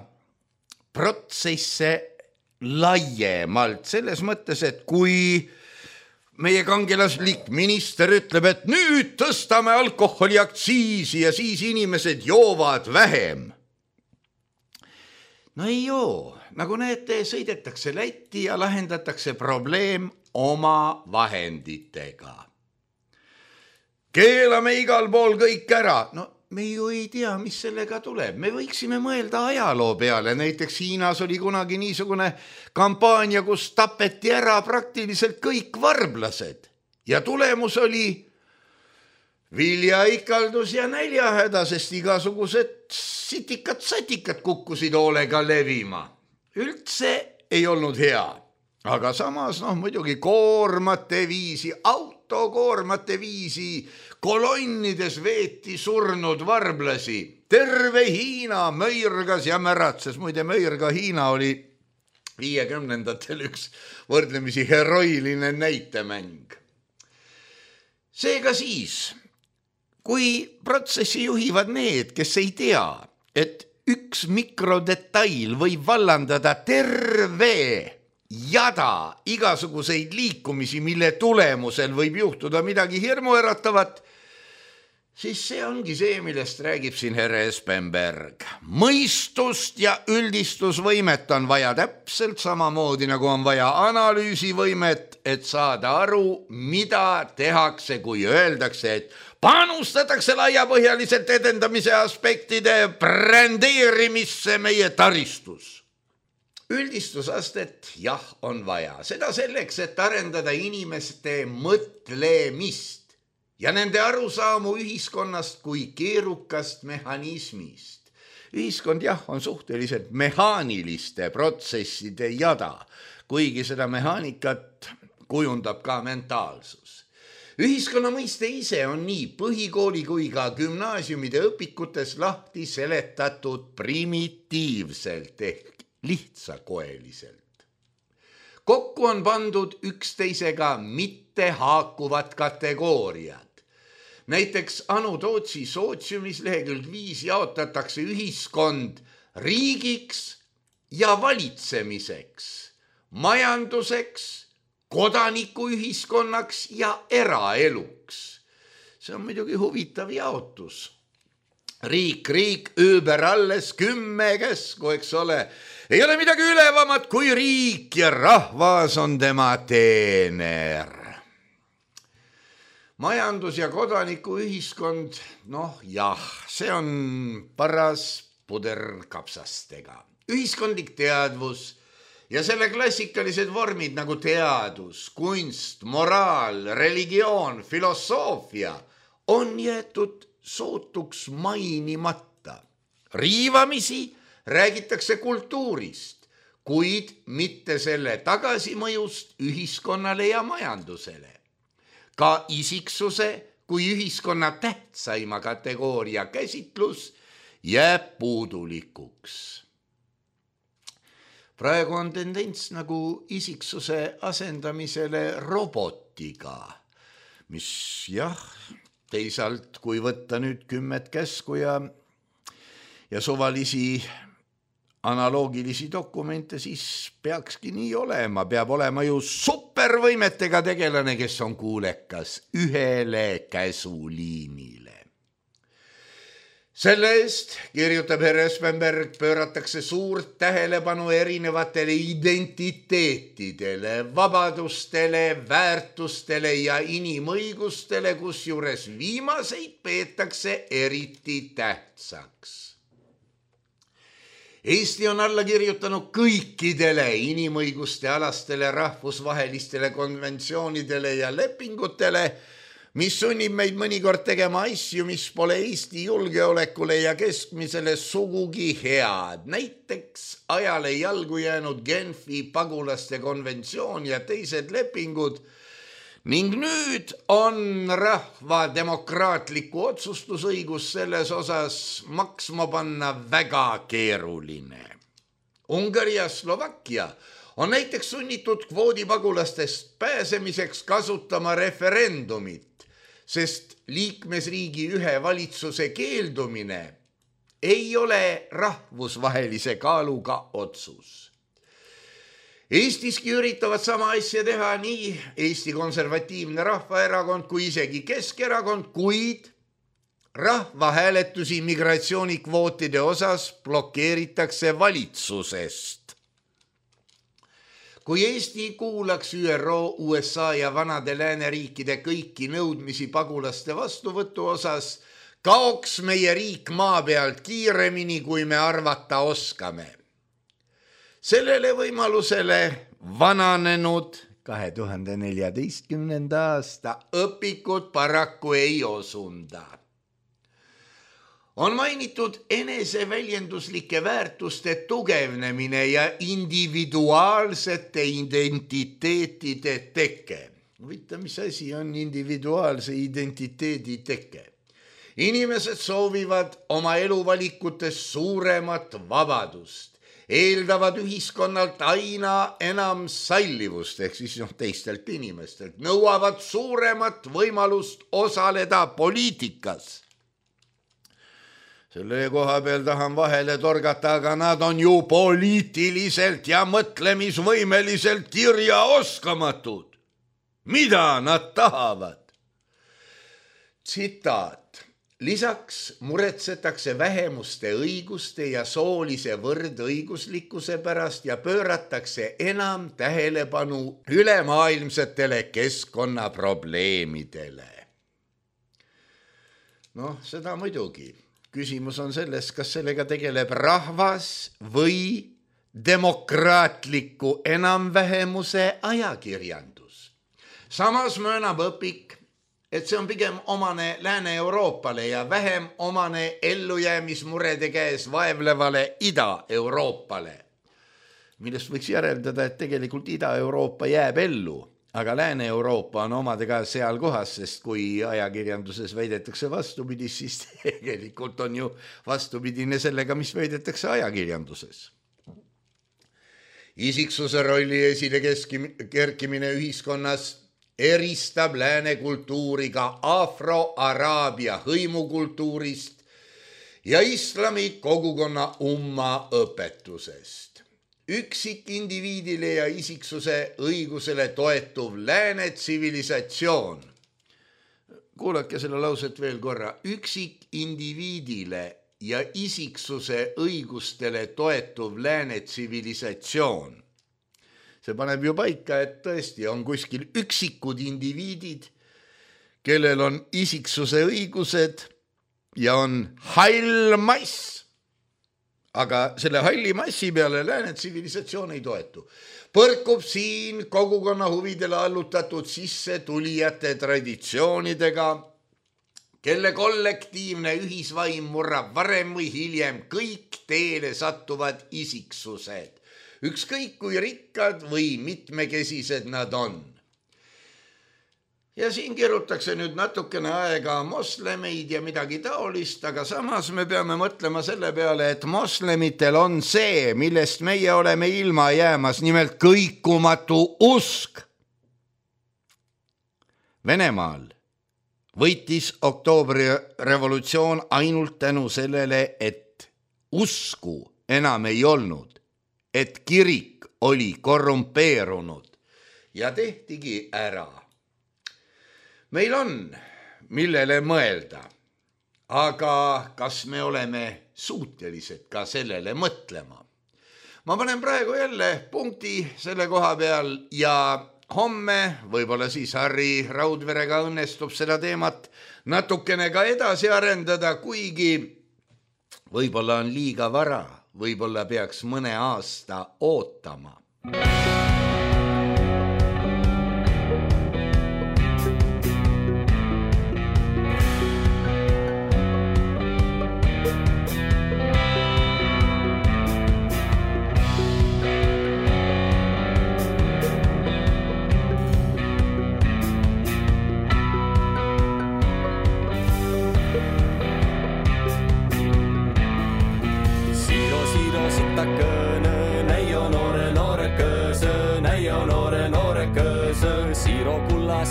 protsesse laiemalt, selles mõttes, et kui meie kangelaslik minister ütleb, et nüüd tõstame alkoholiaktsiisi ja siis inimesed joovad vähem. No ei joo, nagu näete, sõidetakse Lätti ja lahendatakse probleem oma vahenditega. Keelame igal pool kõik ära, no me ju ei tea, mis sellega tuleb. Me võiksime mõelda ajaloo peale. Näiteks Hiinas oli kunagi niisugune kampaania, kus tapeti ära praktiliselt kõik varblased. Ja tulemus oli viljaikaldus ja näljahäda, sest igasugused sitikad-satikad kukkusid hoolega levima. Üldse ei olnud hea. Aga samas, noh, muidugi koormate viisi, autokoormate viisi, kolonnides veeti surnud varblasi. Terve Hiina möirgas ja märatses. Muide, möirga Hiina oli viiekümnendatel üks võrdlemisi heroiline näitemäng. Seega siis, kui protsessi juhivad need, kes ei tea, et üks mikrodetail võib vallandada terve jada igasuguseid liikumisi, mille tulemusel võib juhtuda midagi hirmuäratavat, siis see ongi see, millest räägib siin härra Espenberg. Mõistust ja üldistusvõimet on vaja täpselt samamoodi, nagu on vaja analüüsivõimet, et saada aru, mida tehakse, kui öeldakse, et panustatakse laiapõhjaliselt edendamise aspektide brändeerimisse meie taristus. Üldistusastet jah on vaja, seda selleks, et arendada inimeste mõtlemist ja nende arusaamu ühiskonnast kui keerukast mehhanismist. Ühiskond jah on suhteliselt mehaaniliste protsesside jada, kuigi seda mehaanikat kujundab ka mentaalsus. Ühiskonna mõiste ise on nii põhikooli kui ka gümnaasiumide õpikutes lahti seletatud primitiivselt ehk lihtsakoeliselt. Kokku on pandud üksteisega mitte haakuvad kategooriad. Näiteks Anu Tootsi sootsiumis lehekülg viis jaotatakse ühiskond riigiks ja valitsemiseks, majanduseks, kodanikuühiskonnaks ja eraeluks. See on muidugi huvitav jaotus. Riik, riik, üüber alles kümme käsku, eks ole. Ei ole midagi ülevamat kui riik ja rahvas on tema teener. Majandus- ja kodanikuühiskond, noh jah, see on paras puder kapsastega. Ühiskondlik teadvus ja selle klassikalised vormid nagu teadus, kunst, moraal, religioon, filosoofia on jäetud sootuks mainimata. Riivamisi räägitakse kultuurist, kuid mitte selle tagasimõjust ühiskonnale ja majandusele. Ka isiksuse kui ühiskonna tähtsaima kategooria käsitlus jääb puudulikuks. Praegu on tendents nagu isiksuse asendamisele robotiga, mis jah, teisalt kui võtta nüüd kümmet käsku ja, ja suvalisi analoogilisi dokumente, siis peakski nii olema. Peab olema ju supervõimetega tegelane, kes on kuulekas ühele käsuliinile. Selle eest, kirjutab härra Espenberg, pööratakse suurt tähelepanu erinevatele identiteetidele, vabadustele, väärtustele ja inimõigustele, kusjuures viimaseid peetakse eriti tähtsaks. Eesti on alla kirjutanud kõikidele inimõiguste alastele rahvusvahelistele konventsioonidele ja lepingutele, mis sunnib meid mõnikord tegema asju, mis pole Eesti julgeolekule ja keskmisele sugugi head. Näiteks ajale jalgu jäänud Genfi pagulaste konventsioon ja teised lepingud ning nüüd on rahva demokraatliku otsustusõigus selles osas maksma panna väga keeruline. Ungari ja Slovakkia on näiteks sunnitud kvoodipagulastest pääsemiseks kasutama referendumit, sest liikmesriigi ühe valitsuse keeldumine ei ole rahvusvahelise kaaluga otsus. Eestiski üritavad sama asja teha nii Eesti Konservatiivne Rahvaerakond kui isegi Keskerakond, kuid rahvahääletusi migratsioonikvootide osas blokeeritakse valitsusest. Kui Eesti kuulaks Ü R O, U S A ja vanade lääneriikide kõiki nõudmisi pagulaste vastuvõtu osas, kaoks meie riik maa pealt kiiremini, kui me arvata oskame. Sellele võimalusele vananenud kahe tuhande neljateistkümnenda aasta õpikud paraku ei osunda. On mainitud eneseväljenduslike väärtuste tugevnemine ja individuaalsete identiteetide teke. Võita, mis asi on individuaalse identiteedi teke? Inimesed soovivad oma eluvalikutes suuremat vabadust, eeldavad ühiskonnalt aina enam sallivust, ehk siis noh, teistelt inimestelt, nõuavad suuremat võimalust osaleda poliitikas. Selle koha peal tahan vahele torgata, aga nad on ju poliitiliselt ja mõtlemisvõimeliselt kirjaoskamatud. Mida nad tahavad? Tsitaat. Lisaks muretsetakse vähemuste õiguste ja soolise võrdõiguslikkuse pärast ja pööratakse enam tähelepanu ülemaailmsetele keskkonnaprobleemidele. Noh, seda muidugi. Küsimus on selles, kas sellega tegeleb rahvas või demokraatliku enamvähemuse ajakirjandus. Samas möönab õpik, et see on pigem omane Lääne-Euroopale ja vähem omane ellujäämismurede käes vaevlevale Ida-Euroopale, millest võiks järeldada, et tegelikult Ida-Euroopa jääb ellu, aga Lääne-Euroopa on omadega seal kohas, sest kui ajakirjanduses väidetakse vastupidis, siis tegelikult on ju vastupidine sellega, mis väidetakse ajakirjanduses. Isiksuse rolli esile kerkimine ühiskonnas eristab lääne kultuuriga afro-araabia hõimukultuurist ja islami kogukonna umma õpetusest. Üksik indiviidile ja isiksuse õigusele toetuv lääne tsivilisatsioon. Kuulake selle lauset veel korra. Üksik indiviidile ja isiksuse õigustele toetuv lääne tsivilisatsioon. See paneb ju paika, et tõesti on kuskil üksikud indiviidid, kellel on isiksuse õigused ja on hall mass. Aga selle halli massi peale lääne tsivilisatsioon ei toetu. Põrkub siin kogukonna huvidele allutatud sisse tulijate traditsioonidega, kelle kollektiivne ühisvaim murrab varem või hiljem kõik teele sattuvad isiksused. Ükskõik kui rikkad või mitmekesised nad on. Ja siin kirjutakse nüüd natukene aega moslemeid ja midagi taolist, aga samas me peame mõtlema selle peale, et moslemitel on see, millest meie oleme ilma jäämas, nimelt kõikumatu usk. Venemaal võitis oktoobri revolutsioon ainult tänu sellele, et usku enam ei olnud, et kirik oli korrumpeerunud ja tehtigi ära. Meil on, millele mõelda, aga kas me oleme suutelised ka sellele mõtlema? Ma panen praegu jälle punkti selle koha peal ja homme, võib-olla siis Harri Raudverega õnnestub seda teemat natukene ka edasi arendada, kuigi võib-olla on liiga vara võib-olla peaks mõne aasta ootama.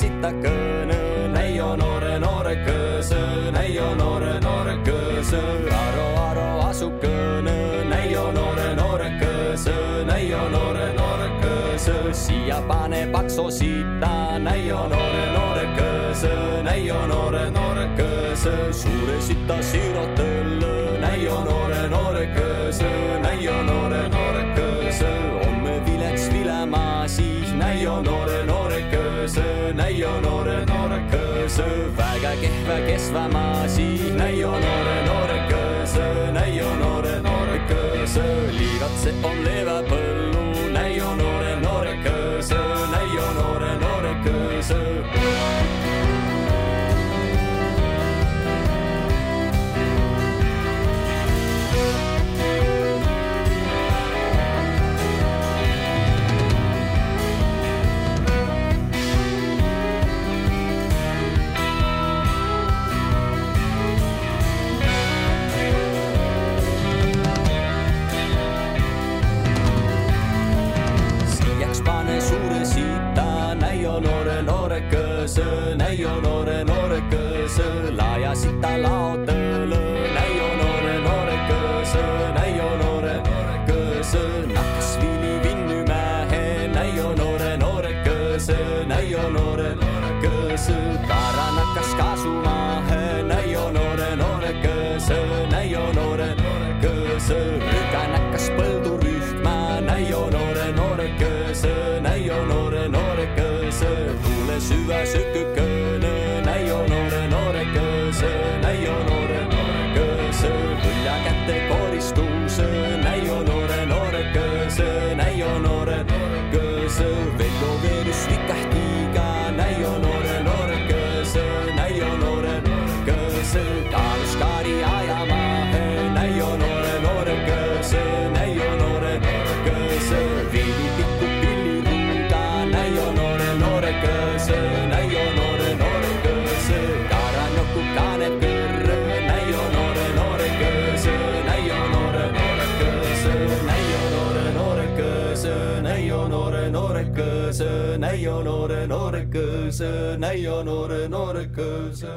Sitakõne, näio noore noore kõõsõ, näio noore noore kõõsõ, aro aro asukõne, näio noore noore kõõsõ, näio noore noore kõõsõ, siia pane pakso sita, näio noore noore kõõsõ, näio noore noore kõõsõ, suure sita siirotõllõ, näio noore noore kõõsõ, näio noore noore kõõsõ, homme vileks vilemaa siis, näio noore noore kõõsõ, näio noore noore kõõsõ, väga kehva kesvamaa siis, näio noore noore kõõsõ, näio noore noore kõõsõ, liivatse on leeva põllu, näio noore noore kõõsõ, näio noore noore kõõsõ. Näio noore noore kõõsõ, laaja sita laotõlõ, näio noore noore kõõsõ, näio noore noore kõõsõ, nakkas vili vinnymähe, näio noore noore kõõsõ, näio noore noore kõõsõ, kaara nakkas kaasumahe, näio noore noore kõõsõ, näio noore noore kõõsõ, rüga nakkas põldu rühma, näio noore noore kõõsõ, näio noore noore kõõsõ, tule süva sökükõne, näio noore noore kõõsõ, näio noore noore kõõsõ, võlja kätte koristuse, näio noore noore kõõsõ, näio noore noore kõõsõ, vello veerus vikahtiga, näio noore noore kõõsõ, näio noore noore kõõsõ, kaalus kaari ajamahe, näio noore noore kõõsõ, näio noore noore kõõsõ, viili pikku pilliruuga, näio noore noore kõõsõ, näio noore noore kõõsõ, karanjoku kaaneb kõrre, näio noore noore kõõsõ, näio noore noore kõõsõ, näio noore noore kõõsõ, näio noore noore kõõsõ, näio noore noore kõõsõ, näio noore noore kõõsõ.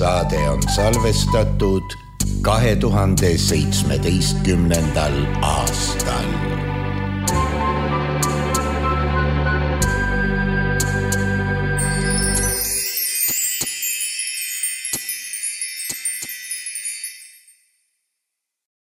Saade on salvestatud kahe tuhande seitsmeteistkümnendal aastal.